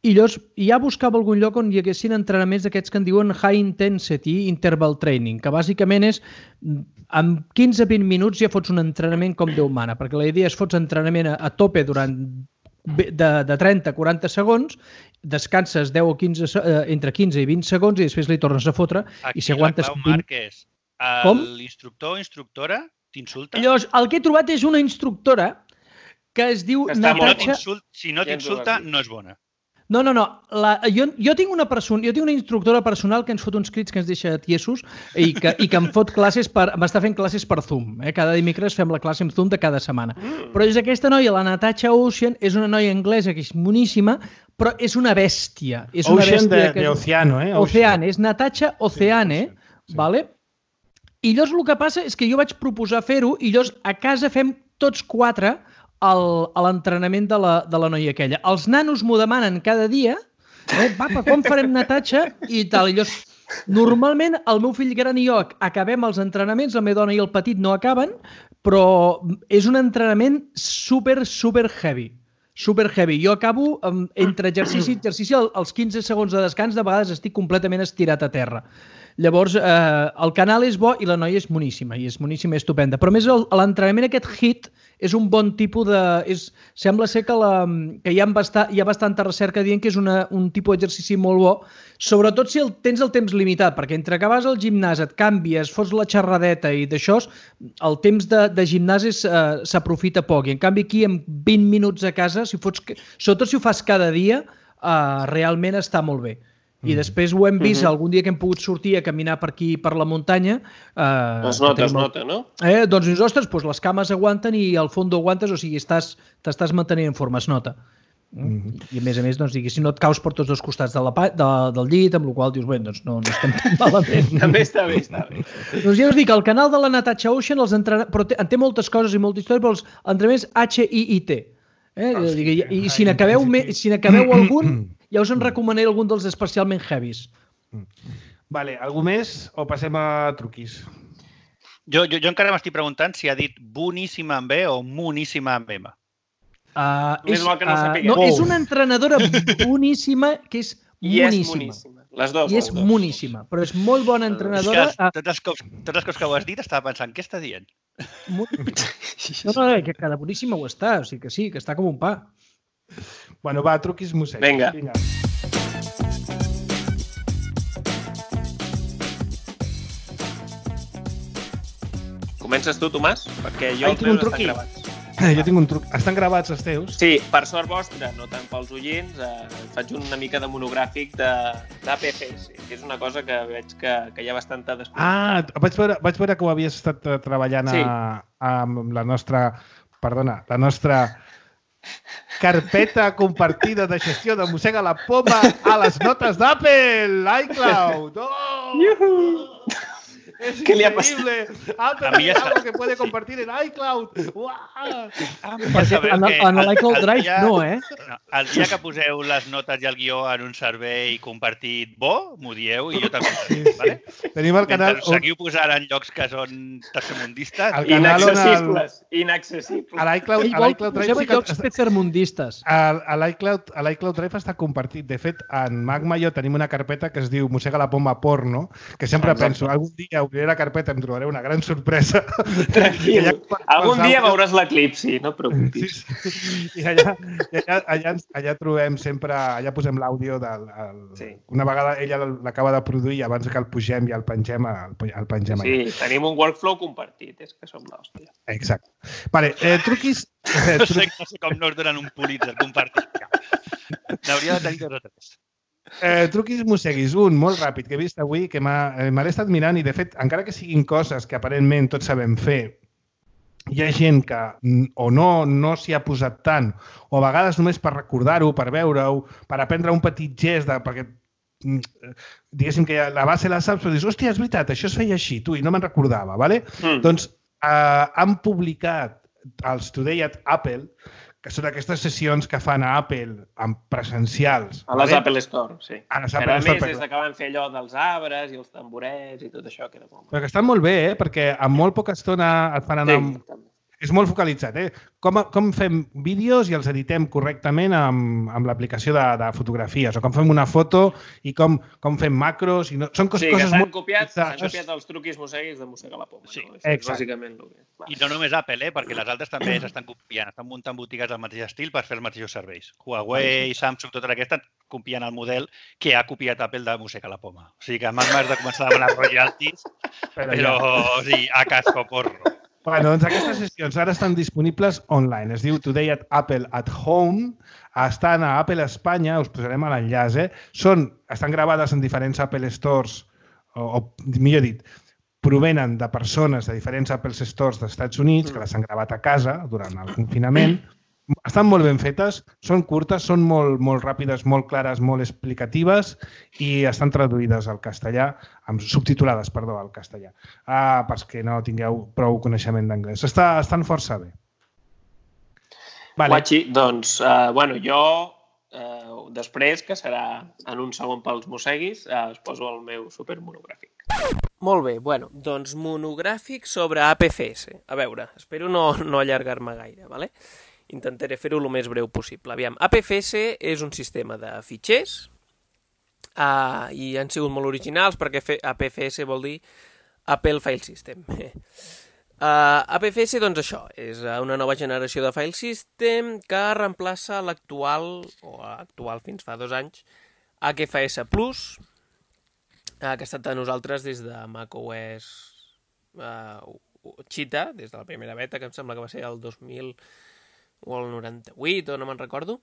i llavors ja buscava algun lloc on hi haguessin entrenaments d'aquests que en diuen High Intensity Interval Training, que bàsicament és en quinze a vint minuts ja fots un entrenament com Déu mana, perquè la idea és fots entrenament a, a tope durant de, de trenta a quaranta segons, descanses deu o quinze, eh, entre quinze i vint segons i després li tornes a fotre i si aguantes la clau, vint... Marc, és Com? l'instructor o instructora t'insulta? Llavors, el que he trobat és una instructora que es diu Que està Si no molt Natasha... t'insult- si no Ja ens ho t'insulta, vas dir. no és bona. No, no, no. La, jo, jo, tinc una person, jo tinc una instructora personal que ens fot uns crits que ens deixa tiesos i que, i que em fot classes per... m'està fent classes per Zoom. Eh? Cada dimecres fem la classe amb Zoom de cada setmana. Mm. Però és aquesta noia, la Natasha Ocean, és una noia anglesa que és moníssima, però és una bèstia. És una Ocean bèstia de, que... de Oceano, eh? Oceane, és Natasha Oceane, sí, sí. Vale? I llavors el que passa és que jo vaig proposar fer-ho i llavors a casa fem tots quatre el, a l'entrenament de, la, de la noia aquella. Els nanos m'ho demanen cada dia, eh? Papa, com farem Natasha? I tal. I llavors, normalment el meu fill gran i jo acabem els entrenaments, la meva dona i el petit no acaben, però és un entrenament super, super heavy. Super heavy. Jo acabo um, entre exercici i exercici, als quinze segons de descans, de vegades estic completament estirat a terra. Llavors, eh, el canal és bo i la noia és moníssima, i és moníssima i estupenda. Però més l'entrenament aquest HIIT és un bon tipus de... És, sembla ser que, la, que hi, ha basta, hi ha bastanta recerca dient que és una, un tipus d'exercici molt bo, sobretot si el, tens el temps limitat, perquè entre que vas al gimnàs, et canvies, fots la xerradeta i d'això, el temps de, de gimnàs eh, s'aprofita poc. I en canvi aquí, en vint minuts a casa, si fots, sobretot si ho fas cada dia, eh, realment està molt bé. I després ho hem vist, uh-huh. algun dia que hem pogut sortir a caminar per aquí, per la muntanya... Eh, es nota, es nota, no? Eh, doncs dius, ostres, doncs les cames aguanten i el fons aguantes, o sigui, estàs, t'estàs mantenint en forma, es nota. Uh-huh. I a més a més, doncs, digui, si no et caus per tots dos costats de la, de, del llit, amb la qual dius, bé, doncs no, no estem tan malament. També està bé, està bé. Doncs ja us dic, el canal de la Natasha Ocean, els entrena... però té, en té moltes coses i molta història, però els entrenaments H I I T. Eh? Oh, sí. I, i si n'acabeu si n'acabeu algun, ja us en recomanaré algun dels especialment heavies. Vale, algú més o passem a truquis? Jo, jo, jo encara m'estic preguntant si ha dit boníssima amb B o moníssima amb M. Uh, és, no uh, no, és una entrenadora boníssima que és I moníssima. és moníssima. Les dues, I és les moníssima, però és molt bona entrenadora. És que tots els cops, tots els cops que ho has dit estava pensant, què està dient? No, no, que cada boníssima ho està, o sigui que sí, que està com un pa. Bueno, va, truquis mossèn. Vinga. Vinga. Comences tu, Tomàs? Perquè jo Ai, els tinc un meus truqui. estan gravats. Jo tinc un truc. Estan gravats els teus? Sí, per sort vostra, no tant pels oients, eh, faig una mica de monogràfic d'A P F S, que és una cosa que veig que, que hi ha bastanta després. Ah, vaig veure, vaig veure que ho havies estat treballant sí. a, amb la nostra, perdona, la nostra carpeta compartida de gestió de Mossega la Poma a les notes d'Apple, iCloud. Oh! Yuhu! Es ¿Qué le ha increíble. Apple tiene algo que puede compartir en iCloud. Uau! Ah, Ja sabeu en, que en l'iCloud Drive dia, no, eh? No, el dia que poseu les notes i el guió en un servei compartit bo, m'ho dieu i jo també. Sí, sí. Vale? Tenim el canal... Mentre seguiu posant en llocs que són tercermundistes. Inaccessibles. El... Inaccessibles. A l'iCloud Drive... Poseu llocs tercermundistes. A l'iCloud Drive està compartit. De fet, en Magma i jo tenim una carpeta que es diu Mossega la Poma Porno, que sempre Exacte. penso, algun dia obriré la carpeta, em trobaré una gran sorpresa. Tranquil. Ja, algun dia veuràs l'eclipsi, no et preocupis. Sí, sí. I allà, allà, allà, allà trobem sempre, allà posem l'àudio del... El, sí. Una vegada ella l'acaba de produir i abans que el pugem i el pengem, el, el pengem sí, allà. Sí, tenim un workflow compartit, és que som l'hòstia. Exacte. Vale, eh, truquis... Eh, no, sé, no sé com no es donen un Pulitzer compartit. N'hauria de tenir dos o tres. Eh, truquis mosseguis, un molt ràpid que he vist avui que me l'he estat mirant i de fet encara que siguin coses que aparentment tots sabem fer, hi ha gent que o no, no s'hi ha posat tant o a vegades només per recordar-ho, per veure-ho, per aprendre un petit gest de, perquè diguéssim que la base la saps però dius, hòstia, és veritat, això es feia així tu, i no me'n recordava, vale? Mm. Doncs eh, han publicat els Today at Apple, que són aquestes sessions que fan a Apple amb presencials. A les vale? Apple Store, sí. A les Apple Apple Store. Store, més des que van fer allò dels arbres i els tamborets i tot això, que era molt... Però que estan molt bé, eh? Perquè en molt poca estona et fan anar... Sí, amb... És molt focalitzat, eh? Com, com fem vídeos i els editem correctament amb, amb l'aplicació de, de fotografies, o com fem una foto i com, com fem macros... I no... Són coses, sí, que coses s'han molt... copiat, copiat els truquis mosseguis de Mossega la Poma. Sí, no? És bàsicament el que... I no només Apple, eh? Perquè les altres també s'estan copiant, estan muntant botigues del mateix estil per fer els mateixos serveis. Huawei, Samsung, totes aquestes copien el model que ha copiat Apple de Mossega la Poma. O sigui que m'has de començar a demanar royalties, però, però ja. O sigui, a casco porro. Bueno, doncs aquestes sessions ara estan disponibles online. Es diu Today at Apple at Home. Estan a Apple Espanya, us posarem a l'enllaç. Eh? Són, estan gravades en diferents Apple Stores, o, o millor dit, provenen de persones de diferents Apple Stores dels Estats Units que les han gravat a casa durant el confinament. Estan molt ben fetes, són curtes, són molt, molt ràpides, molt clares, molt explicatives i estan traduïdes al castellà, amb subtitulades, perdó, al castellà, ah, perquè no tingueu prou coneixement d'anglès. Està, estan força bé. Vale. Guachi, doncs, uh, bueno, jo, uh, després, que serà en un segon pels mosseguis, uh, us poso el meu supermonogràfic. Molt bé, bueno, doncs monogràfic sobre A P F S. A veure, espero no, no allargar-me gaire, vale? Intentaré fer-ho el més breu possible. Aviam, A P F S és un sistema de fitxers uh, i han sigut molt originals perquè A P F S vol dir Apple File System. Uh, A P F S, doncs això, és una nova generació de File System que reemplaça l'actual, o actual fins fa dos anys, H F S Plus, uh, que ha estat a nosaltres des de macOS uh, Cheetah, des de la primera beta, que em sembla que va ser el dos mil o el noranta-vuit, o no me'n recordo,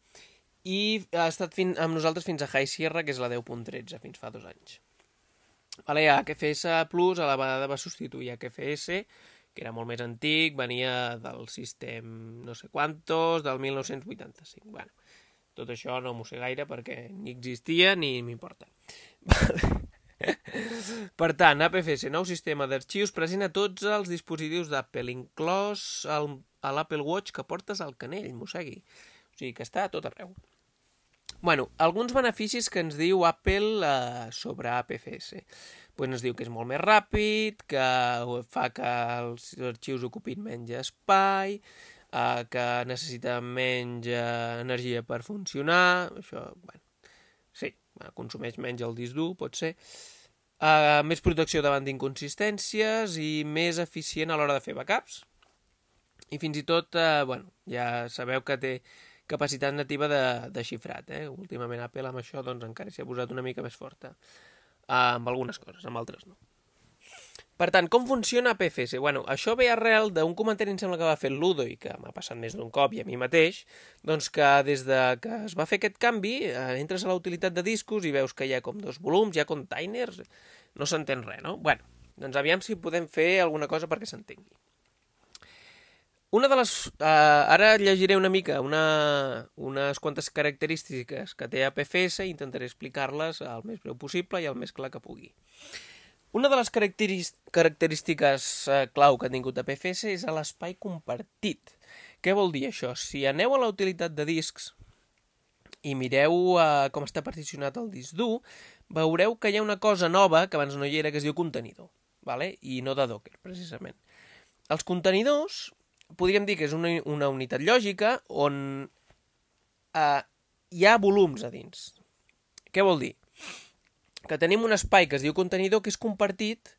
i ha estat fin, amb nosaltres fins a High Sierra, que és la deu punt tretze, fins fa dos anys. Vale, H F S Plus a la vegada va substituir H F S, que era molt més antic, venia del sistema no sé quantos, del mil nou-cents vuitanta-cinc. Bueno, tot això no m'ho sé gaire perquè ni existia ni m'importa. Per tant, A P F S, nou sistema d'arxius present a tots els dispositius d'Apple, inclòs el, a l'Apple Watch que portes al canell, mossegui. O sigui que està a tot arreu. Bueno, alguns beneficis que ens diu Apple eh, sobre A P F S. Pues ens diu que és molt més ràpid, que fa que els arxius ocupin menys espai, eh, que necessita menys eh, energia per funcionar, això, bueno, sí, consumeix menys el disc dur, pot ser, uh, més protecció davant d'inconsistències i més eficient a l'hora de fer backups. I fins i tot, uh, bueno, ja sabeu que té capacitat nativa de, de xifrat. Eh? Últimament Apple amb això doncs, encara s'hi ha posat una mica més forta. Uh, amb algunes coses, amb altres no. Per tant, com funciona A P F S? Bueno, això ve arrel d'un comentari, em sembla que va fer el Ludo i que m'ha passat més d'un cop i a mi mateix, doncs que des de que es va fer aquest canvi, eh, entres a la utilitat de discos i veus que hi ha com dos volums, hi ha containers, no s'entén res, no? Bueno, doncs aviam si podem fer alguna cosa perquè s'entengui. Una de les... Eh, ara llegiré una mica una, unes quantes característiques que té A P F S i intentaré explicar-les el més breu possible i el més clar que pugui. Una de les característiques eh, clau que ha tingut A P F S és l'espai compartit. Què vol dir això? Si aneu a la utilitat de discs i mireu eh, com està particionat el disc dur, veureu que hi ha una cosa nova que abans no hi era, que es diu contenidor, vale? I no de Docker, precisament. Els contenidors podríem dir que és una, una unitat lògica on eh, hi ha volums a dins. Què vol dir? Que tenim un espai que es diu contenidor que és compartit,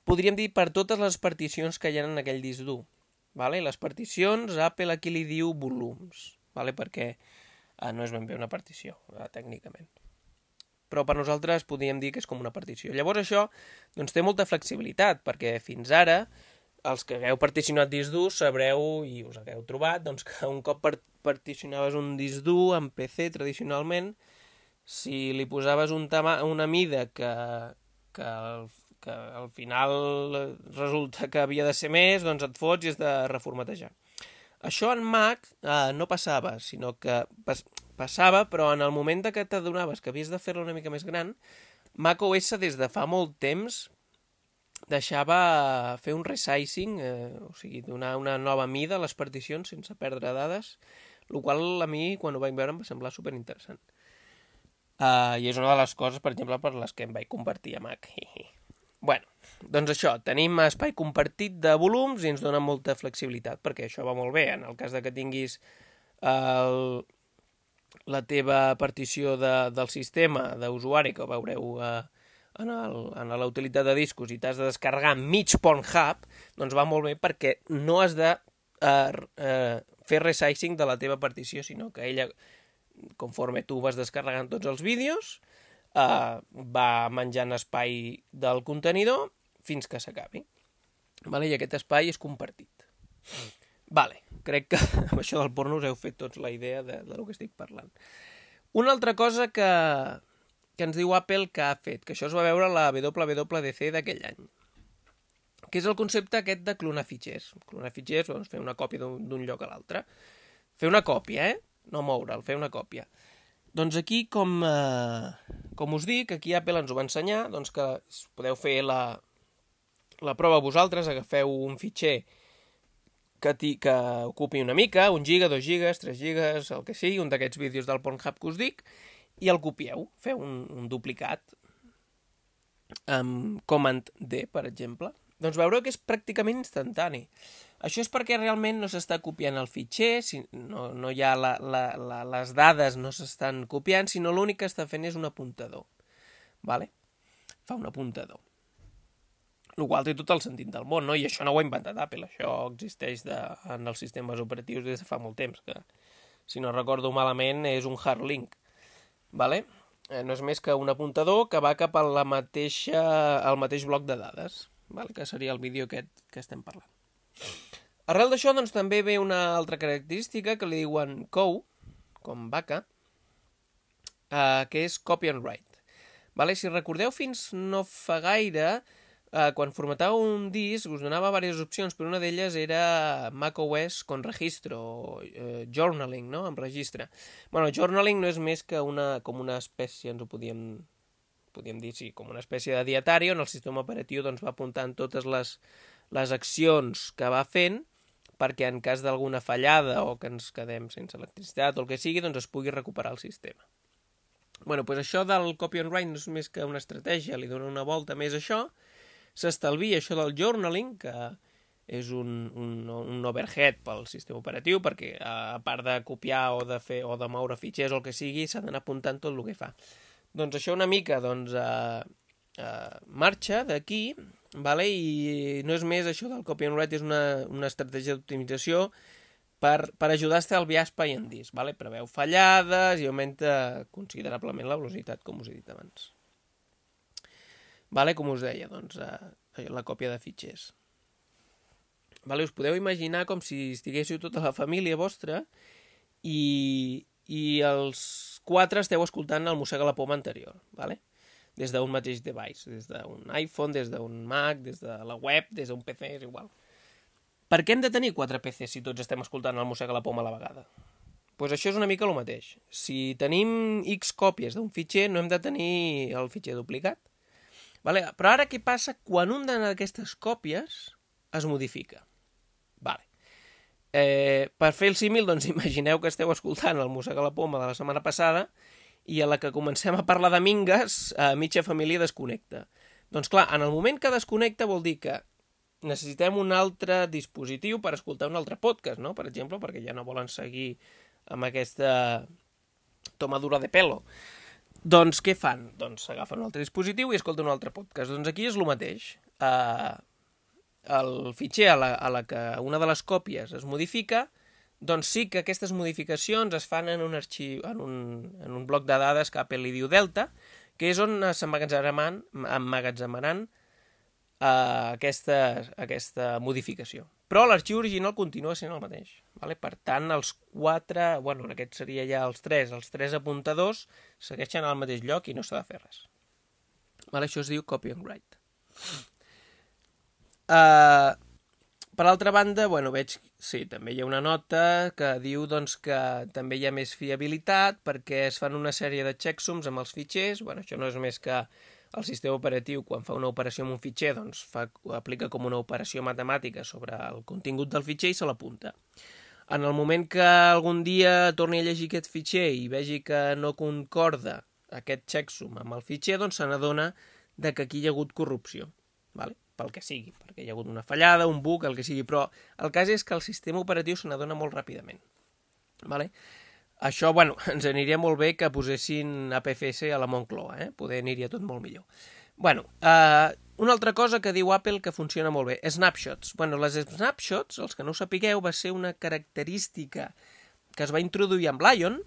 podríem dir, per totes les particions que hi ha en aquell disc dur. Vale? Les particions, Apple aquí li diu volums, vale? Perquè eh, no és ben bé una partició, eh, tècnicament. Però per nosaltres podríem dir que és com una partició. Llavors això doncs, té molta flexibilitat, perquè fins ara els que hagueu particionat disc dur sabreu i us hagueu trobat doncs, que un cop particionaves un disc dur en P C tradicionalment, si li posaves un tama, una mida que, que, al, que al final resulta que havia de ser més, doncs et fots i has de reformatejar. Això en Mac eh, no passava, sinó que pas, passava, però en el moment que t'adonaves que havies de fer-la una mica més gran, macOS des de fa molt temps deixava fer un resizing, eh, o sigui, donar una nova mida a les particions sense perdre dades, el qual a mi, quan ho vaig veure, em va semblar superinteressant. Uh, I és una de les coses, per exemple, per les que em vaig convertir a Mac. Bueno, doncs això, tenim espai compartit de volums i ens dona molta flexibilitat, perquè això va molt bé. En el cas de que tinguis el, la teva partició de, del sistema d'usuari, que ho veureu uh, en, el, en la utilitat de discos, i t'has de descarregar mig Pornhub, doncs va molt bé perquè no has de uh, uh, fer resizing de la teva partició, sinó que ella, conforme tu vas descarregant tots els vídeos, eh, va menjant espai del contenidor fins que s'acabi. Vale? I aquest espai és compartit. Vale, crec que amb això del porno us heu fet tots la idea de, de lo que estic parlant. Una altra cosa que, que ens diu Apple que ha fet, que això es va veure a la W W D C d'aquell any, que és el concepte aquest de clonar fitxers. Clonar fitxers, doncs fer una còpia d'un lloc a l'altre. Fer una còpia, eh? No moure'l, fer una còpia. Doncs aquí, com, eh, com us dic, aquí Apple ens ho va ensenyar, doncs que podeu fer la, la prova vosaltres, agafeu un fitxer que, ti, que ocupi una mica, un giga, dos gigas, tres gigas, el que sigui, un d'aquests vídeos del Pornhub que us dic, i el copieu, feu un, un duplicat amb Command D, per exemple. Doncs veureu que és pràcticament instantani. Això és perquè realment no s'està copiant el fitxer, si no, no hi ha la, la, la, les dades no s'estan copiant, sinó l'únic que està fent és un apuntador. Vale? Fa un apuntador. El qual té tot el sentit del món, no? I això no ho ha inventat Apple, això existeix de, en els sistemes operatius des de fa molt temps, que si no recordo malament és un hard link. Vale? Eh, no és més que un apuntador que va cap a la mateixa, al mateix bloc de dades, vale? Que seria el vídeo aquest que estem parlant. Arrel d'això, doncs, també ve una altra característica que li diuen C O W, com vaca, eh, que és copy and write. Vale? Si recordeu, fins no fa gaire, eh, quan formatàveu un disc, us donava diverses opcions, però una d'elles era macOS con registro, o eh, journaling, no?, amb registre. Bueno, journaling no és més que una, com una espècie, ens ho podíem, podíem dir, sí, com una espècie de dietari, on el sistema operatiu doncs, va apuntant totes les, les accions que va fent, perquè en cas d'alguna fallada o que ens quedem sense electricitat o el que sigui, doncs es pugui recuperar el sistema. Bueno, doncs això del copy and write no és més que una estratègia, li dona una volta més a això, s'estalvia això del journaling, que és un, un, un overhead pel sistema operatiu, perquè a part de copiar o de fer o de moure fitxers o el que sigui, s'ha d'anar apuntant tot el que fa. Doncs això una mica doncs, eh, eh, marxa d'aquí, vale? I no és més això del copy and write, és una, una estratègia d'optimització per, per ajudar a estalviar espai en disc. Vale? Preveu fallades i augmenta considerablement la velocitat, com us he dit abans. Vale? Com us deia, doncs, eh, la còpia de fitxers. Vale? Us podeu imaginar com si estiguéssiu tota la família vostra i, i els quatre esteu escoltant el Mossega la Poma anterior. Vale? Des d'un mateix device, des d'un iPhone, des d'un Mac, des de la web, des d'un P C, és igual. Per què hem de tenir quatre P Cs si tots estem escoltant el Mossega la Poma a la vegada? Doncs pues això és una mica el mateix. Si tenim X còpies d'un fitxer, no hem de tenir el fitxer duplicat. Vale? Però ara què passa quan una d'aquestes còpies es modifica? Vale. Eh, per fer el símil, doncs imagineu que esteu escoltant el Mossega la Poma de la setmana passada i a la que comencem a parlar de mingues, a mitja família desconnecta. Doncs clar, en el moment que desconnecta vol dir que necessitem un altre dispositiu per escoltar un altre podcast, no? Per exemple, perquè ja no volen seguir amb aquesta tomadura de pelo. Doncs què fan? Doncs s'agafen un altre dispositiu i escolten un altre podcast. Doncs aquí és el mateix. Uh, el fitxer a la, a la que una de les còpies es modifica, doncs sí que aquestes modificacions es fan en un arxiu, en un, en un bloc de dades que Apple li diu Delta, que és on s'emmagatzemaran emmagatzemaran uh, aquesta, aquesta modificació. Però l'arxiu original continua sent el mateix. Vale? Per tant, els quatre, bueno, en aquest seria ja els tres, els tres apuntadors segueixen al mateix lloc i no s'ha de fer res. Vale? Això es diu copy and write. Uh, per altra banda, bueno, veig, sí, també hi ha una nota que diu doncs, que també hi ha més fiabilitat perquè es fan una sèrie de checksums amb els fitxers. Bueno, això no és més que el sistema operatiu, quan fa una operació amb un fitxer, doncs fa, aplica com una operació matemàtica sobre el contingut del fitxer i se l'apunta. En el moment que algun dia torni a llegir aquest fitxer i vegi que no concorda aquest checksum amb el fitxer, doncs se n'adona que aquí hi ha hagut corrupció. Vale? Pel que sigui, perquè hi ha hagut una fallada, un bug, el que sigui, però el cas és que el sistema operatiu se n'adona molt ràpidament. Vale? Això, bueno, ens aniria molt bé que posessin A P F S a la Moncloa, eh? Poder aniria tot molt millor. Bueno, eh, una altra cosa que diu Apple que funciona molt bé, snapshots. Bueno, les snapshots, els que no ho sapigueu, va ser una característica que es va introduir amb Lion,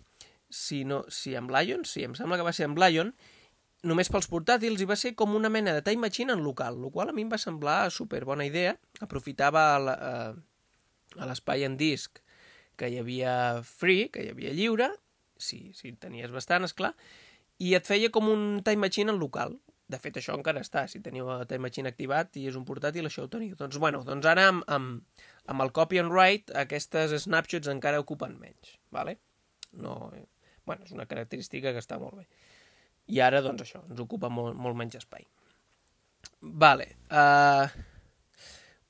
si, no, si amb Lion, sí, em sembla que va ser amb Lion, només pels portàtils, i va ser com una mena de time machine en local, el qual a mi em va semblar super bona idea. Aprofitava la, eh, a l'espai en disc que hi havia free, que hi havia lliure, si, si tenies bastant, esclar, i et feia com un Time Machine en local. De fet, això encara està. Si teniu el Time Machine activat i és un portàtil, això ho teniu. Doncs, bueno, doncs ara amb, amb, amb el copy and write aquestes snapshots encara ocupen menys. Vale? No, eh, bueno, és una característica que està molt bé. I ara, doncs això, ens ocupa molt, molt menys espai. Vale. Uh,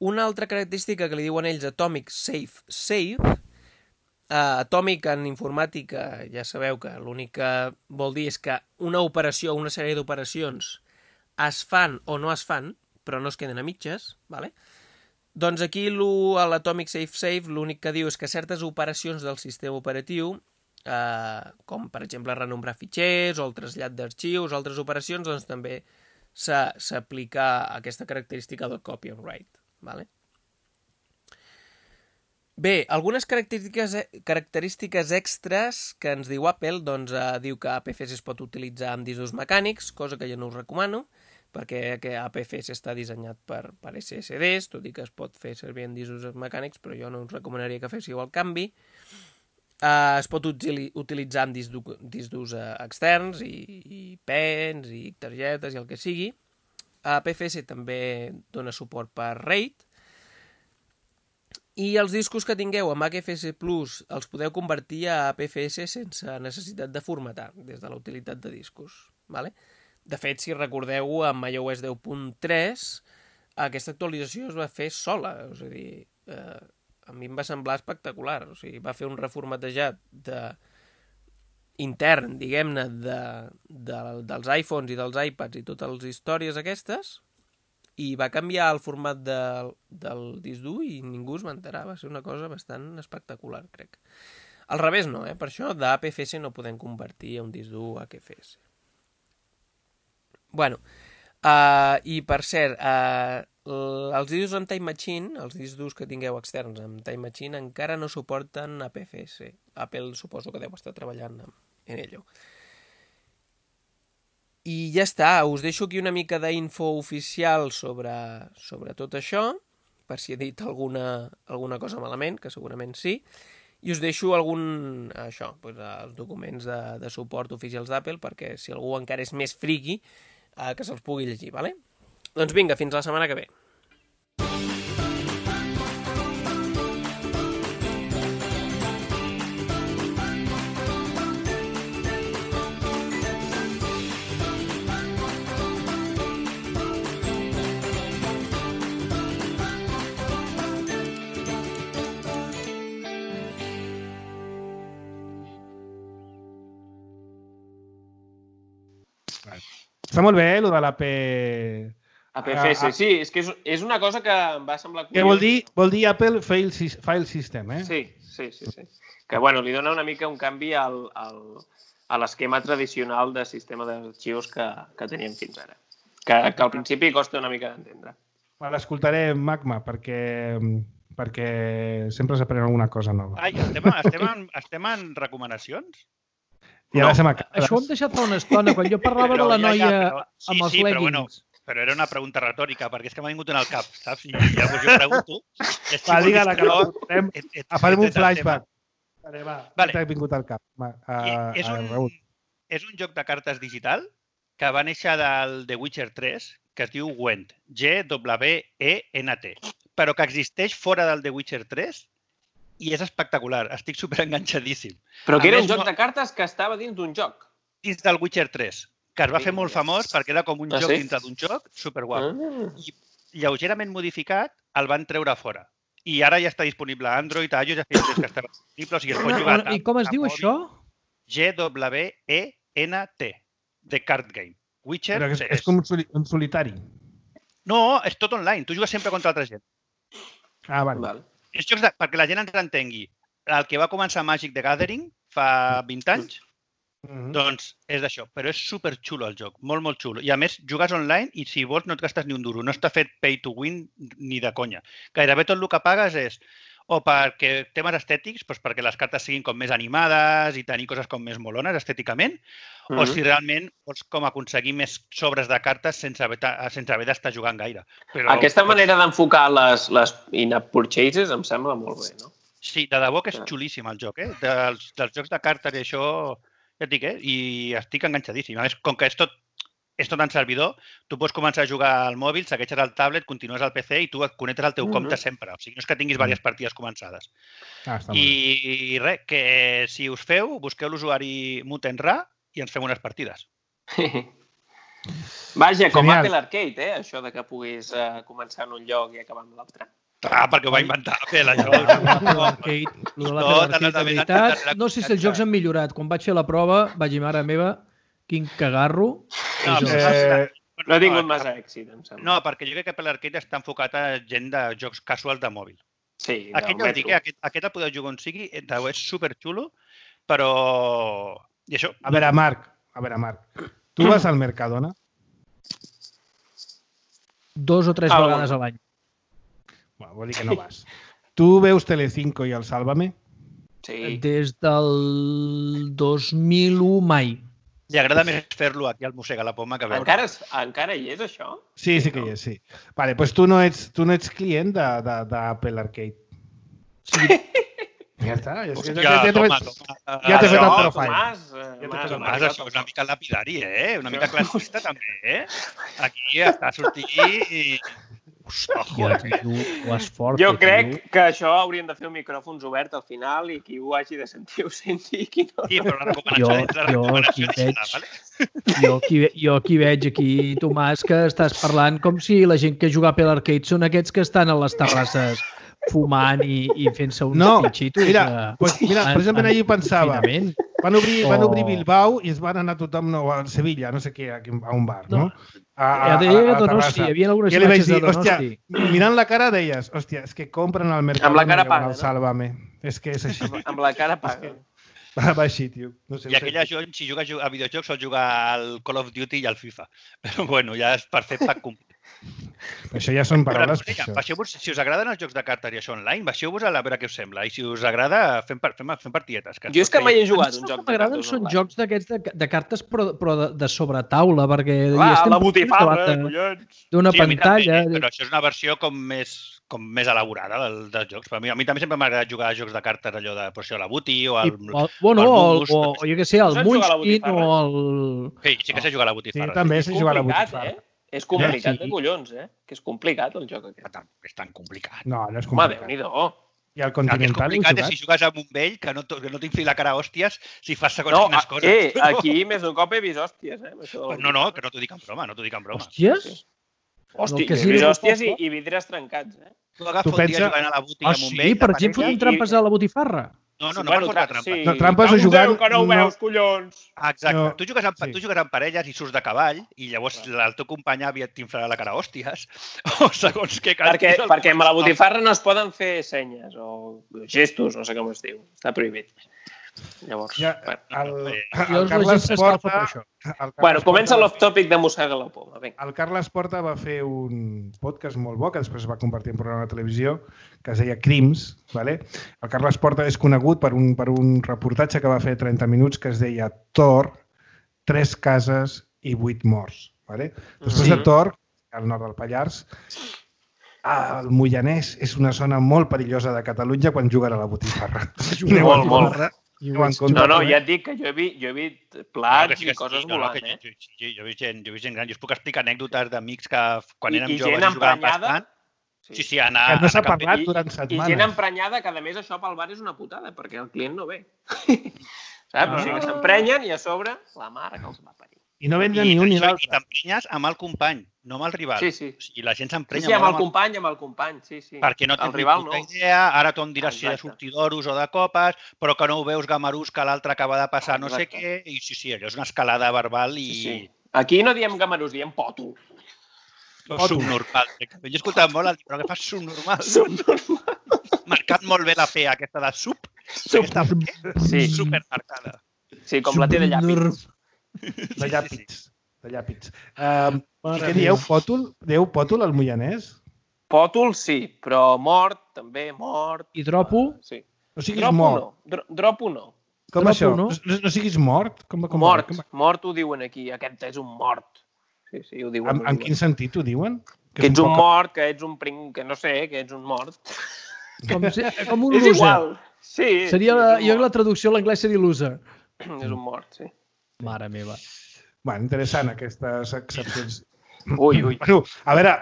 una altra característica que li diuen ells Atomic Safe Save. Uh, Atomic en informàtica, ja sabeu que l'únic que vol dir és que una operació, una sèrie d'operacions es fan o no es fan, però no es queden a mitges, vale? Doncs aquí l'Atomic Safe Save l'únic que diu és que certes operacions del sistema operatiu, eh, com per exemple renombrar fitxers o el trasllat d'arxius o altres operacions, doncs també s'aplica aquesta característica del copy and write. Vale? Bé, algunes característiques, característiques extres que ens diu Apple, doncs eh, diu que A P F S es pot utilitzar amb discos mecànics, cosa que jo no us recomano, perquè que A P F S està dissenyat per, per S S Ds, tot i que es pot fer servir en discos mecànics, però jo no us recomanaria que féssiu el canvi. Uh, es pot utili utilitzar amb discs, discos uh, externs i, i pens i targetes i el que sigui. A P F S també dona suport per RAID. I els discos que tingueu amb A P F S Plus els podeu convertir a A P F S sense necessitat de formatar des de la utilitat de discos. Vale? De fet, si recordeu, amb iOS deu punt tres aquesta actualització es va fer sola. És a dir, eh, a mi em va semblar espectacular. O sigui, va fer un reformatejat de... intern, diguem-ne, de, de, dels iPhones i dels iPads i totes les històries aquestes, i va canviar el format de, del disc dur i ningú es va enterar. Va ser una cosa bastant espectacular, crec. Al revés no, eh? Per això d'A P F S no podem convertir a un disc dur A P F S. Bueno, uh, i per cert, uh, els discs amb Time Machine, els discs durs que tingueu externs amb Time Machine, encara no suporten A P F S. Apple suposo que deu estar treballant en ello. I ja està, us deixo aquí una mica d'info oficial sobre, sobre tot això, per si he dit alguna, alguna cosa malament, que segurament sí, i us deixo algun, això, doncs, els documents de, de suport oficials d'Apple, perquè si algú encara és més friqui, eh, que se'ls pugui llegir, vale? Doncs vinga, fins la setmana que ve. Està molt bé, eh, el de l'A P... A P F S, sí, és que és, és una cosa que em va semblar curiós. Què vol dir? Vol dir Apple File, file System, eh? Sí, sí, sí, sí. Que, bueno, li dona una mica un canvi al, al, a l'esquema tradicional de sistema d'arxius que, que teníem fins ara. Que, que al principi costa una mica d'entendre. L'escoltaré, Magma, perquè, perquè sempre s'aprèn alguna cosa nova. Ai, estem, estem, en, estem en recomanacions? I ara No. se m'acaba. Això ho hem deixat fa una estona, quan jo parlava Però de la ja, noia ja, però- sí, amb els sí, però leggings. bueno, però era una pregunta retòrica, perquè és que m'ha vingut en el cap, saps? I llavors jo pregunto... i així Va, vol dir digue-la, que no, la portem. et- et- Farem un et- et- el flashback. Vale, va, Vale. t'ha vingut al cap. Va, a, I és, a, un, Raül. és un joc de cartes digital que va néixer del The Witcher tres, que es diu Gwent, G W E N T, però que existeix fora del The Witcher tres i és espectacular. Estic superenganxadíssim. Però que A era més, un joc no- de cartes que estava dins d'un joc. Dins del Witcher tres, que es va Sí, fer molt ja. famós perquè era com un Ah, joc sí? dintre d'un joc superguapo. Ah. I lleugerament modificat el van treure fora. I ara ja està disponible a Android, a iOS, ja feia temps que estava disponible, o sigui, es pot jugar a, I com es a diu mòbil. això? G W E N T, The Card Game. Witcher Però és, tres. és com un, soli, un solitari. No, és tot online. Tu jugues sempre contra altra gent. Ah, vale. Val. És jocs de... perquè la gent ens entengui. El que va començar Magic the Gathering fa vint anys, Mhm. doncs és d'això. Però és superxulo el joc, molt, molt xulo. I a més, jugues online i si vols no et gastes ni un duro. No està fet pay to win ni de conya. Gairebé tot el que pagues és o perquè temes estètics, doncs perquè les cartes siguin com més animades i tenir coses com més molones estèticament, Mm-hmm. O si realment vols com aconseguir més sobres de cartes sense haver, sense haver d'estar jugant gaire. Però... Aquesta manera d'enfocar les, les in-app purchases em sembla molt bé, no? Sí, de debò que és xulíssim el joc, eh? Dels, dels jocs de cartes i això, ja et dic, eh? I estic enganxadíssim. A més, com que és tot, és tot en servidor, tu pots començar a jugar al mòbil, segueixes el tablet, continues al P C i tu et connectes al teu mm-hmm. compte sempre. O sigui, no és que tinguis diverses partides començades. Ah, I, I res, que si us feu, busqueu l'usuari Mutenra i ens fem unes partides. Vaja, com Genial. Apple Arcade, eh? Això de que puguis uh, començar en un lloc i acabar en l'altre. Ah, perquè ho va inventar Apple, això. No sé si els jocs han millorat. Quan vaig fer la prova, vaig dir, mare meva, quin cagarro. No, eh, no he tingut massa èxit, em sembla. No, perquè jo crec que Apple Arcade està enfocat a gent de jocs casuals de mòbil. Sí, aquest, ja dic, aquest, aquest el podeu jugar on sigui, és superxulo, però... I això... A veure, Marc, a veure, Marc, tu vas al Mercadona? Dos o tres ah, vegades bueno. a l'any. Bueno, vol dir que no vas. Tu veus Telecinco i el Sálvame? Sí. Des del dos mil u mai. Li agrada més fer-lo aquí al Mossega la Poma que veure. Encara, encara hi és, això? Sí, sí que hi és, sí. Vale, doncs tu no ets, tu no ets client d'Apple Arcade. Sí. Ja està. Ja, Hòstia, ja, ja, toma, ja, toma. Ja t'he fet el profile. Tomàs, ja Tomàs, Tomàs, això és una mica lapidari, eh? Una mica classista, també, eh? Aquí està sortint i... Hòstia, tio, ho has fort. Jo crec tio. que això haurien de fer un micròfons obert al final i qui ho hagi de sentir ho senti i qui no. Sí, però la recomanació, jo, la recomanació jo, veig, vale? jo, aquí, jo aquí veig aquí, Tomàs, que estàs parlant com si la gent que juga a Apple Arcade són aquests que estan a les terrasses fumant i, i fent-se uns no, pinxitos. Mira, de... pues, mira precisament allà pensava. Van obrir, van obrir Bilbao i es van anar tothom no, a Sevilla, no sé què, a un bar, no? A, a, a, a Donosti, hi havia algunes imatges de Donosti. Hòstia, mirant la cara deies, hòstia, és que compren al mercat. Amb la cara paga, no? Sálvame. És que és així. Amb la cara paga. Va així, tio. No sé, I aquella gent, si juga a videojocs, sol jugar al Call of Duty i al FIFA. Però bueno, ja és per fer pack complet. Això ja són paraules. Baixeu-vos, si us agraden els jocs de cartes i això online, baixeu-vos a veure què us sembla. I si us agrada, fem, fem, fem partietes. Que jo és que mai he jugat un joc de cartes. M'agraden són jocs d'aquests de, de cartes però, però de, de sobretaula, perquè... Clar, la botifarra, collons! D'una sí, pantalla... També, però això és una versió com més, com més elaborada del, dels jocs. A mi, a mi també sempre m'agrada jugar a jocs de cartes, allò de per això, la Buti o el... I, o, bueno, o, el, o, o jo què sé, el Munchkin o el... Sí, sí que sé jugar a la botifarra. Sí, també sé jugar a la botifarra. És complicat de collons, eh? Que és complicat el joc aquest. És tan complicat. No, no és complicat. Home, Déu-n'hi-do. I el Continental l'he jugat? És complicat si jugues amb un vell que no, que no t'infili la cara a hòsties si fas segons no, quines coses. Eh, aquí més d'un cop he vist hòsties, eh? No, no, que no t'ho dic en broma, no t'ho dic en broma. Hòsties? Hòstia, he vist hòsties i, i vidres trencats, eh? Tu agafes un dia jugant a la botiga amb un vell... Ah, sí? Per exemple, fotent trampes a la botifarra? No, no, no per fotre trampes. Sí. No, trampes o jugant... que no ho veus, collons! Exacte. No. Tu, jugues amb, sí. tu jugues amb parelles i surts de cavall i llavors el teu company aviat t'inflarà la cara a hòsties o segons què... Perquè, el... perquè amb la botifarra no es poden fer senyes o gestos, no sé com es diu. Està prohibit. Llavors... Ja, el, el, el Carles Porta... Bueno, comença l'off-topic de Mossega la Poma. Vinga. El Carles Porta va fer un podcast molt bo que després es va convertir en programa de televisió que es deia Crims. Vale? El Carles Porta és conegut per un, per un reportatge que va fer trenta minuts que es deia Tor, tres cases i vuit morts. Vale? Després sí. de Tor, al nord del Pallars, el Moianès és una zona molt perillosa de Catalunya quan juguen a la botifarra. Molt, molt. No, no, ja et dic que jo he vist, jo he vist plats no, sí i coses sí, volant, no, eh? Jo, jo, jo, he vist gent, jo he vist gent gran. Jo us puc explicar anècdotes d'amics que quan I, érem i joves jugaven bastant. Sí, sí, anar... Que no s'ha parlat durant setmanes. I gent emprenyada, que a més això pel bar és una putada, perquè el client no ve. Saps? Ah. O sigui que s'emprenyen i a sobre la mare que els va parir. I no venen ni un ni l'altre. I t'emprenyes amb el company, no amb el rival. Sí, sí. I la gent s'emprenya sí, sí, amb el company, amb el company, sí, sí. Perquè no tens ni puta idea, ara tu em diràs si de sortir d'oros o de copes, però que no ho veus gamarús que l'altre acaba de passar no sé què, i sí, sí, allò és una escalada verbal i... Sí, sí. Aquí no diem gamarús, diem pòtol. O subnormal. Jo he escoltat molt el dir, però què fas subnormal? Subnormal. Marcat molt bé la P, aquesta de sub. Sub. Aquesta sí. Supermarcada. Sí, com la té de llàpits. De llàpits. De llàpits. Uh, què dieu? Pòtol? Dieu pòtol al Moianès? Pòtol sí, però mort també, mort. I dropo? Sí. O sigui, és mort. No. Dropo no. Com Tropo, això? no? No, no siguis mort? Com, com, Mort, com, mort ho diuen aquí. Aquest és un mort. Sí, sí, ho diuen. en, ho en diuen. quin sentit ho diuen? Que ets un poc- mort, que ets un pring... que no sé, que ets un mort. Com, si, com un És loser. igual. Sí, Seria sí, la, és un jo la mort. traducció a l'anglès seria loser. És un mort, sí. Mare meva. Bueno, interessant aquestes excepcions. Ui, ui. Bueno, a veure,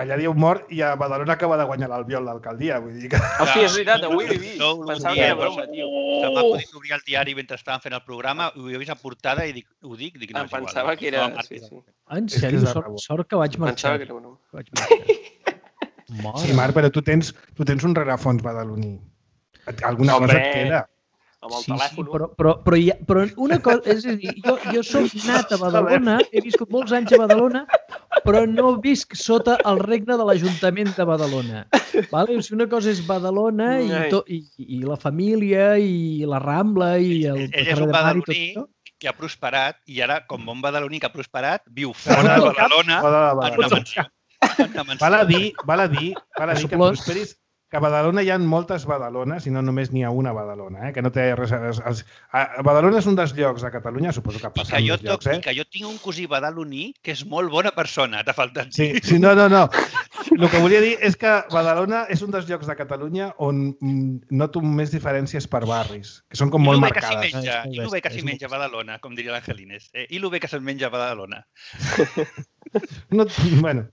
allà diu mort i a Badalona acaba de guanyar l'Albiol l'alcaldia, vull dir que... Hòstia, és veritat, avui ho he vist. No, no, Pensava no, que era no, broma, tio. Se m'ha acudit obrir el diari mentre estàvem fent el programa, ho he vist a portada i dic, ho dic, dic, no, Em és igual. pensava que era... No, Sí, sí. En És que sèrio? és de Sort, rebot. sort que vaig marxar. Pensava que era broma. Vaig marxar. Mare. Sí, Marc, però tu tens, tu tens un rerefons badaloní. Alguna Hombre. cosa et queda. Amb el Sí, sí, telèfon. però, però, però, hi ha, però una cosa, és a dir, jo, jo soc nat a Badalona, he viscut molts anys a Badalona, però no visc sota el regne de l'Ajuntament de Badalona. Vale? O sigui, una cosa és Badalona i, Ai. to, i, i la família i la Rambla i el Ell és carrer un de Mar i tot badaloní això. que ha prosperat i ara, com bon badaloní que ha prosperat, viu fora de Badalona Fora de en Badalona. una mansió. En una mansió. Val a dir, val a dir, val a dir que Suplós. prosperis, que a Badalona hi ha moltes Badalones i no només n'hi ha una Badalona, eh? Que no té res a... Els, a Badalona és un dels llocs de Catalunya, suposo que I passa que, en jo molts toc, llocs, I eh? que jo tinc un cosí badaloní que és molt bona persona, t'ha faltat Sí, dir. sí, no, no, no. El que volia dir és que Badalona és un dels llocs de Catalunya on mm, noto més diferències per barris, que són com I molt lo bé que s'hi marcades. menja, És molt i lo bé que bèstia, s'hi és menja a molt Badalona, com diria l'Angelines. Eh? I lo bé que se'n menja a Badalona. No, bueno,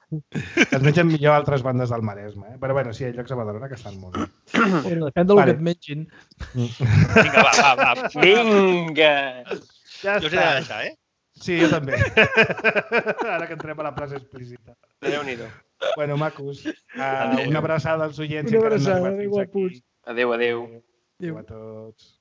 es mengen millor a altres bandes del Maresme, eh? Però bueno, sí, hi ha llocs a Badalona que estan molt bé. Bueno, depèn del Vale. que et mengin. Vinga, va, va, va. Vinga! Ja Jo us he de deixar, eh? Sí, jo també. Ara que entrem a la frase explícita. Déu-n'hi-do. Bueno, macos, uh, Adéu. una abraçada als oients. Una encara no han abraçada, arribat fins guapos. aquí. Adéu, adéu. Adéu a tots.